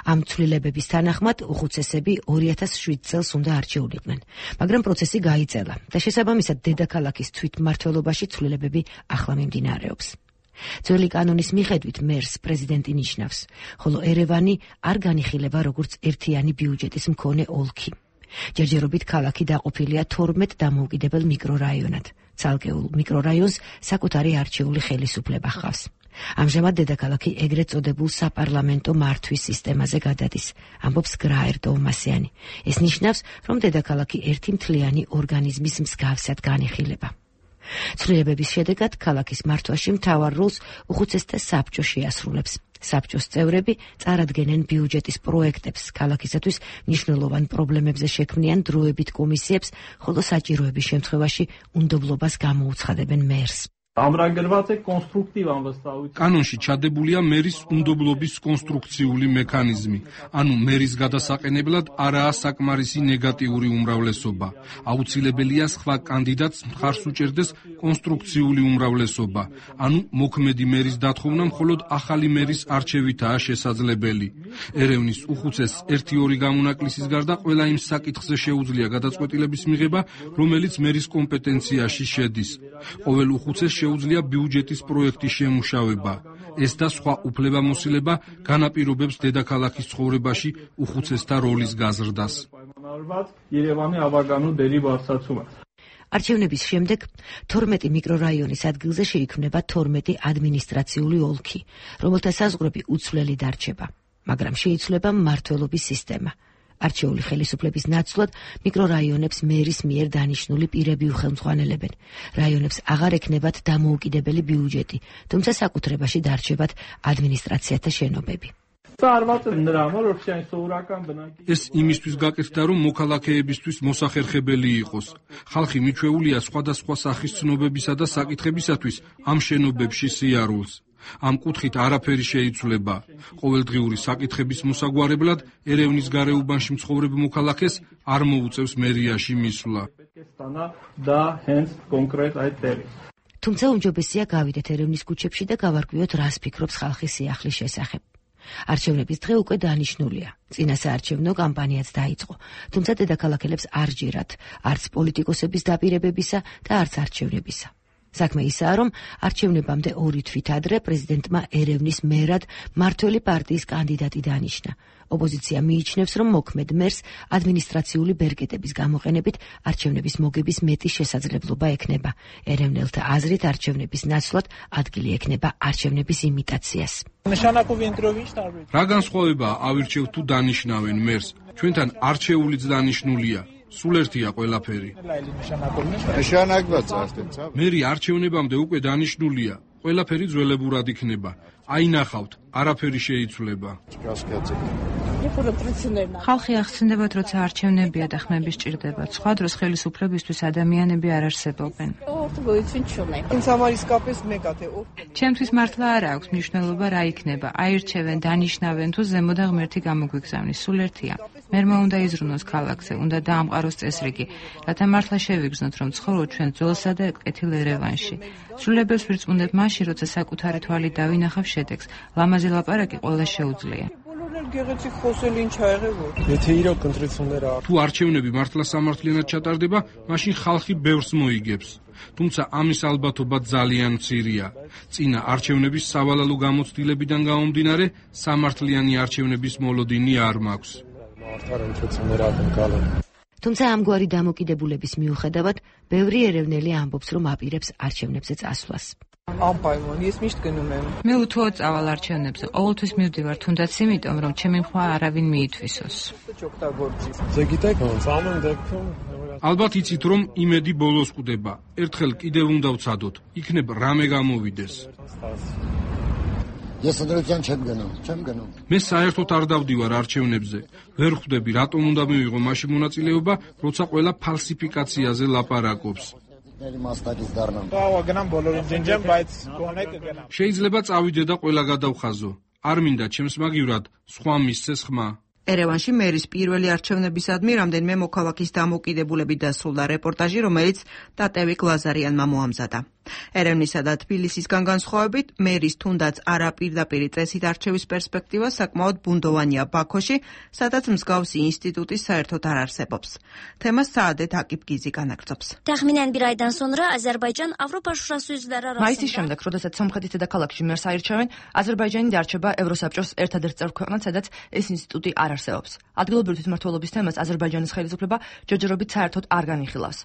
ამ ცვლილებების თანახმად უხუცესები 2007 წელს უნდა არჩეულიყვნენ, მაგრამ პროცესი გაიწელა და შესაბამისად დედაქალაქის თვითმმართველობაში ცვლილებები ახლა მიმდინარეობს. ძველი კანონის მიხედვით მერს პრეზიდენტი ნიშნავს, ხოლო ერევანი არ განიხილება როგორც ერთიანი ბიუჯეტის მქონე ოლქი. ჯერჯერობით ქალაქი დაყოფილია 12 დამოუკიდებელ მიკრორაიონად. ცალკეულ მიკრორაიონს საკუთარი არჩეული ხელისუფლება ჰყავს. ამჟამად დედაქალაქი ეგრეთ წოდებულ საპარლამენტო მართვის სისტემაზე გადადის, ამბობს გრაირ ტოვმასიანი. ეს ნიშნავს, რომ დედაქალაქი ერთი მთლიანი ორგანიზმის მსგავსად განიხილება. ცვლილებების შედეგად ქალაქის მართვაში მთავარ როლს უხუცესთა საბჭო შეასრულებს. საბჭოს წევრები წარადგენენ ბიუჯეტის პროექტებს, ქალაქისათვის მნიშვნელოვან პრობლემებზე შექმნიან დროებით კომისიებს, ხოლო საჭიროების შემთხვევაში უნდობლობას გამოუცხადებენ მერს. კანონში ჩადებულია მერის უნდობლობის კონსტრუქციული მექანიზმი, ანუ მერის გადასაყენებლად არაა საკმარისი ნეგატიური უმრავლესობა. აუცილებელია სხვა კანდიდატს მხარს უჭერდეს კონსტრუქციული უმრავლესობა, ანუ მოქმედი მერის დათხოვნა მხოლოდ ახალი მერის არჩევითაა შესაძლებელი. ერევნის უხუცესს 1-2 გამონაკლისის გარდა ყველა იმ საკითხზე შეუძლია გადაწყვეტილების მიღება, რომელიც მერის კომპეტენციაში შედის. ყოველ უხუცესს შეუძლია ბიუჯეტის პროექტის შემუშავება. ეს და სხვა უფლებამოსილება განაპირობებს დედაქალაქის ცხოვრებაში უხუცესთა როლის გაზრდას. არჩევნების შემდეგ 12 მიკრორაიონის ადგილზე შეიქმნება 12 ადმინისტრაციული ოლქი, რომელთა საზღვრები უცვლელი დარჩება, მაგრამ შეიცვლება მმართველობის სისტემა. არჩეული ხელისუფლების ნაცვლად მიკრორაიონებს მერის მიერ დანიშნული პირები უხელმძღვანელებენ. რაიონებს აღარ ექნებათ დამოუკიდებელი ბიუჯეტი, თუმცა საკუთრებაში დარჩებათ ადმინისტრაციათა შენობები. ეს იმისთვის გაკეთდა, რომ მოქალაქეებისთვის მოსახერხებელი იყოს. ხალხი მიჩვეულია სხვადასხვა სახის ცნობებისა და საკითხებისათვის ამ შენობებში სიარულს. ამ კუთხით არაფერი შეიცვლება. ყოველდღიური საკითხების მოსაგვარებლად ერევნის გარეუბანში მცხოვრებ მოქალაქეს არ მოუწევს მერიაში მისვლა. თუმცა უმჯობესია გავიდეთ ერევნის ქუჩებში და გავარკვიოთ, რას ფიქრობს ხალხი სიახლის შესახებ. არჩევნების დღე უკვე დანიშნულია. წინა საარჩევნო კამპანიაც დაიწყო, თუმცა დედაქალაქელებს არ ჯერათ არც პოლიტიკოსების დაპირებებისა და არც არჩევნებისა. საქმე ისაა, რომ არჩევნებამდე 2 თვით ადრე პრეზიდენტმა ერევნის მერად მმართველი პარტიის კანდიდატი დანიშნა. ოპოზიცია მიიჩნევს, რომ მოქმედ მერს ადმინისტრაციული ბერკეტების გამოყენებით არჩევნების მოგების მეტი შესაძლებლობა ექნება. ერევნელთა აზრით არჩევნების ნაცვლად ადგილი ექნება არჩევნების იმიტაციას. რა განსხვავებაა ავირჩევთ თუ დანიშნავენ მერს? ჩვენთან არჩეულიც დანიშნულია. სულ ერთია ყველაფერი. მერი არჩევნებამდე უკვე დანიშნულია. ყველაფერი ძველებურად იქნება. აინახავთ, არაფერი შეიცვლება. ხალხი ახსენდებათ, როცა არჩევნებია და ხმები სჭირდებათ. სხვა დროს ხელისუფლებისთვის ადამიანები არ არსებობენ. ჩემთვის მართლა არ აქვს მნიშვნელობა რა იქნება, აირჩევენ, დანიშნავენ თუ ზემო და ღმერთი გამოგვიგზავნის, სულ ერთია. მერმა უნდა იზრუნოს ქალაქზე, უნდა დაამყაროს წესრიგი, რათა მართლა შევიგრძნოთ, რომ ცხოვრობ ჩვენ ძველსა და კეთილ ერევანში. სრულებებს ვირწმუნებ მაშინ, როცა საკუთარი თვალით დავინახავ შედეგს. ლამაზი ლაპარაკი ყველა შეუძლია. თუ არჩევნები მართლა სამართლიანად ჩატარდება, მაშინ ხალხი ბევრს მოიგებს. თუმცა ამის ალბათობა ძალიან მცირეა. წინა არჩევნების სავალალო გამოცდილებიდან გამომდინარე, სამართლიანი არჩევნების მოლოდინი არ მაქვს. თუმცა ამგვარი დამოკიდებულების მიუხედავად, ბევრი ერევნელი ამბობს, რომ აპირებს არჩევნებზე წასვლას. მე უთუოდ წავალ არჩევნებზე, ყოველთვის მივდივარ, თუნდაც იმიტომ, რომ ჩემი მხვა არავინ მიითვისოს. ალბათ იცით, რომ იმედი ბოლოს კვდება. ერთხელ კიდევ უნდა ვცადოთ, იქნებ რამე გამოვიდეს. მე საერთოდ არ დავდივარ არჩევნებზე. ვერ ხვდები, რატომ უნდა მივიღო მაშინ მონაწილეობა, როცა ყველა ფალსიფიკაციაზე ლაპარაკობს. შეიძლება წავიდე და ყველა გადავხაზო. არ მინდა ჩემს მაგივრად სხვა მისცეს ხმა. ერევანში მერის პირველი არჩევნებისადმი რამდენიმე მოქალაქის დამოკიდებულებით დასრულდა რეპორტაჟი, რომელიც ტატევიკ ლაზარიანმა მოამზადა. ერევნისა და თბილისისგან განსხვავებით, მერის თუნდაც არაპირდაპირი წესით არჩევის პერსპექტივა საკმაოდ ბუნდოვანია ბაქოში, სადაც მსგავსი ინსტიტუტი საერთოდ არ არსებობს. თემას საადეთ აკიფგიზი განაგრძობს. მაისის შემდეგ, როდესაც სომხეთის დედაქალაქში მერს აირჩევენ, აზერბაიჯანი დარჩება ევროსაბჭოს ერთადერთ წევრ ქვეყნად, სადაც ეს ინსტიტუტი არ არსებობს. ადგილობრივი თვითმმართველობის თემას აზერბაიჯანის ხელისუფლება ჯერჯერობით საერთოდ არ განიხილავს.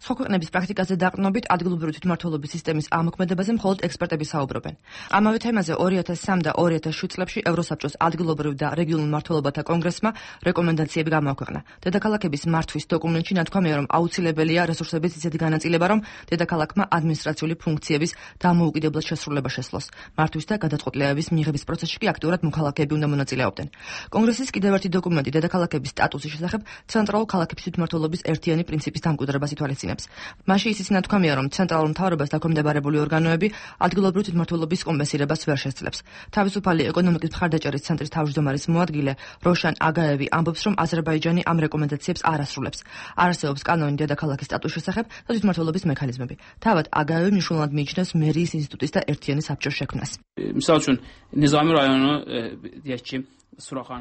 სხვა ქვეყნების პრაქტიკაზე დაყრდნობით ადგილობრივი თვითმმართველობის სისტემის ამოქმედებაზე მხოლოდ ექსპერტები საუბრობენ. ამავე თემაზე 2003 და 2007 წლებში ევროსაბჭოს ადგილობრივ და რეგიონულ მმართველობათა კონგრესმა რეკომენდაციები გამოაქვეყნა. დედაქალაქების მართვის დოკუმენტში ნათქვამია, რომ აუცილებელია რესურსების ისეთი განაწილება, რომ დედაქალაქმა ადმინისტრაციული ფუნქციების დამოუკიდებლად შესრულება შესძლოს. მართვის და გადაწყვეტილებების მიღების პროცესში კი აქტიურად მოქალაქეები უნდა მონაწილეობდნენ. კონგრესის კიდევ ერთი დოკუმენტი დედაქალაქების სტატუსის შესახებ ცენტრალურ ქალაქების თვითმმართველობის ერთიანი პრინციპის დამკვიდრებას ითვალისწინებს. მასში ისიც ნათქვამია, რომ ცენტრალურ მთავრობას დაქვემდებარებული ორგანოები ადგილობრივი თვითმმართველობის კომპენსირებას ვერ შესძლებს. თავისუფალი ეკონომიკის მხარდაჭერის ცენტრის თავმჯდომარის მოადგილე როშან აგაევი ამბობს, რომ აზერბაიჯანი ამ რეკომენდაციებს არ ასრულებს. არ არსებობს კანონი დედაქალაქის სტატუსის შესახებ და თვითმმართველობის მექანიზმები. თავად აგაევი მნიშვნელოვნად მიიჩნევს მერიის ინსტიტუტის და ერთიანი საბჭოს შექმნას.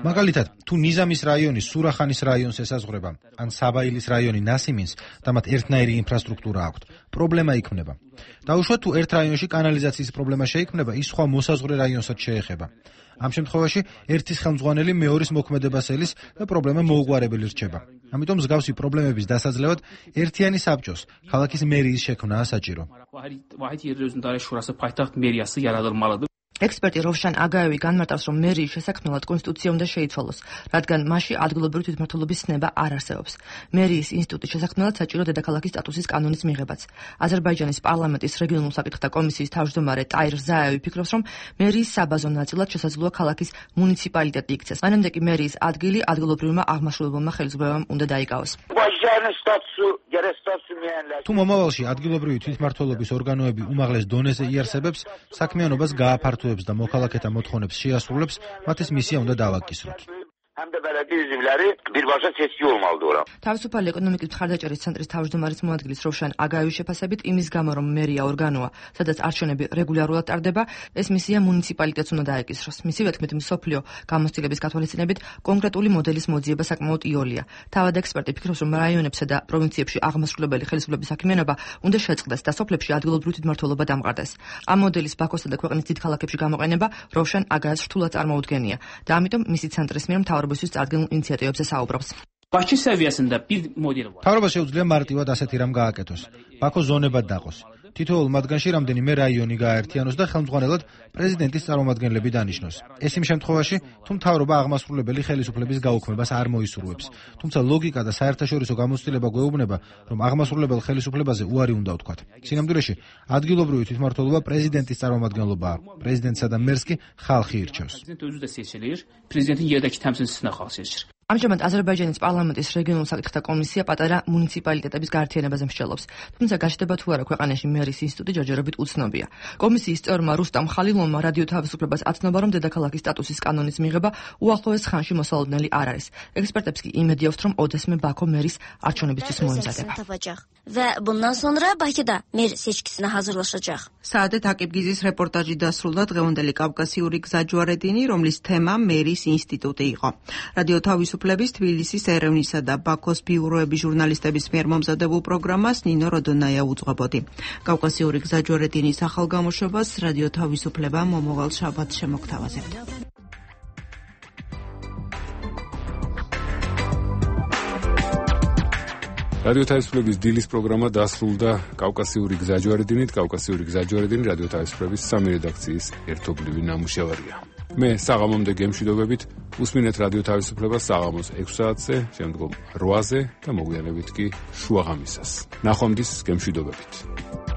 მაგალითად, თუ ნიზამის რაიონი სურახანის რაიონს ესაზღვრება, ან საბაილის რაიონი ნასიმინს და მათ ერთნაირი ინფრასტრუქტურა აქვთ, პრობლემა იქმნება. დაუშვათ, თუ ერთ რაიონში კანალიზაციის პრობლემა შეიქმნება, ის სხვა მოსაზღვრე რაიონსაც შეეხება. ამ შემთხვევაში ერთის ხელმძღვანელი მეორის მოქმედებას ელის და პრობლემა მოუგვარებელი რჩება. ამიტომ მსგავსი პრობლემების დასაძლევად ერთიანი საბჭოს, ქალაქის მერიის შექმნაა საჭირო. ექსპერტი როშან აგაევი განმარტავს, რომ მერიის შესაქმნელად კონსტიტუცია უნდა შეიცვალოს, რადგან მასში ადგილობრივი თვითმმართველობის ცნება არ არსებობს. მერიის ინსტიტუტის შესაქმნელად საჭირო დედაქალაქის სტატუსის კანონის მიღებაც. აზერბაიჯანის პარლამენტის რეგიონულ საკითხთა კომისიის თავმჯდომარე ტაირ ზაევი ფიქრობს, რომ მერიის საბაზო ნაწილად შესაძლოა ქალაქის მუნიციპალიტეტი იქცეს. მანამდე კი მერიის ადგილი ადგილობრივმა აღმასრულებელმა ხელისუფლებამ უნდა დაიკავოს. თუ მომავალში ადგილობრივი თვითმმართველობის ორგანოები უმაღლეს დონეზე იარსებებს, საქმიანობას გააფართოებს და მოქალაქეთა მოთხოვნებს შეასრულებს, მათ ეს მისია უნდა დავაკისროთ. თავისუფალი ეკონომიკის მხარდაჭერის ცენტრის თავმჯდომარის მოადგილის როშან აგაევის შეფასებით, იმის გამო, რომ მერია ორგანოა, სადაც არჩევნები რეგულარულად ტარდება, ეს მისია მუნიციპალიტეტს უნდა დაეკისროს. მისივე თქმით, მსოფლიო გამოცდილების გათვალისწინებით კონკრეტული მოდელის მოძიება საკმაოდ იოლია. თავად ექსპერტი ფიქრობს, რომ რაიონებსა და პროვინციებში აღმასრულებელი ხელისუფლების საქმიანობა უნდა შეწყდეს და სოფლებში ადგილობრივი თვითმმართველობა დამყარდეს. ამ მოდელის ბაქოსა და ქვეყნის დიდ ქალაქებში გამოყენება როშან აგაევს რთულად წარმოუდგენია და ამიტომ მისი ცენტრის მიერ მთავრობისთვის წარდგენილ ინიციატივებზე საუბრობს. მთავრობას შეუძლია მარტივად ასეთი რამ გააკეთოს. ბაქო ზონებად დაყოს. თითოეულ მათგანში რამდენიმე რაიონი გააერთიანოს და ხელმძღვანელად პრეზიდენტის წარმომადგენლები დანიშნოს. ეს იმ შემთხვევაში, თუ მთავრობა აღმასრულებელი ხელისუფლების გაუქმებას არ მოისურვებს. თუმცა ლოგიკა და საერთაშორისო გამოცდილება გვეუბნება, რომ აღმასრულებელ ხელისუფლებაზე უარი უნდა ვთქვათ. სინამდვილეში, ადგილობრივი თვითმმართველობა პრეზიდენტის წარმომადგენლობაა. პრეზიდენტსა და მერს კი ხალხი ირჩევს. ამჟამად აზერბაიჯანის პარლამენტის რეგიონულ საკითხთა კომისია პატარა მუნიციპალიტეტების გაერთიანებაზე მსჯელობს. თუმცა გაჩნდება თუ არა ქვეყანაში მერის ინსტიტუტი ჯერჯერობით უცნობია. კომისიის წევრმა რუსტამ ხალილონმა რადიო თავისუფლებას აცნობა, რომ დედაქალაქის სტატუსის კანონის მიღება უახლოეს ხანში მოსალოდნელი არ არის. ექსპერტებს კი იმედიაქვთ, რომ ოდესმე ბაქო მერის არჩევნებისთვის მოემზადება. Və bundan sonra Bakıda mer seçkisinə hazırlaşacaq. საადეთ აკიბგიზის რეპორტაჟი დასრულდა დღევანდელი კავკასიური გზაჯვარედინი, რომლის თემა მერის ინსტიტუტი იყო. რადიო თავისუფლების თბილისის ერევნისა და ბაქოს ბიუროების ჟურნალისტების მიერ მომზადებულ პროგრამას ნინო როდონაია უძღვებოდი. კავკასიური გზაჯვარედინის ახალ გამოშვებას რადიო თავისუფლება მომავალ შაბათს შემოგთავაზებთ. რადიო თავისუფლების დილის პროგრამა დასრულდა კავკასიური გზაჯვარედინით. კავკასიური გზაჯვარედინი რადიო თავისუფლების სამი რედაქციის ერთობლივი ნამუშევარია. მე საღამომდე გემშვიდობებით უსმინეთ რადიო თავისუფლებას საღამოს 6 საათზე, შემდგომ 8-ზე და მოგვიანებით კი შუაღამისას. ნახვამდის გემშვიდობებით.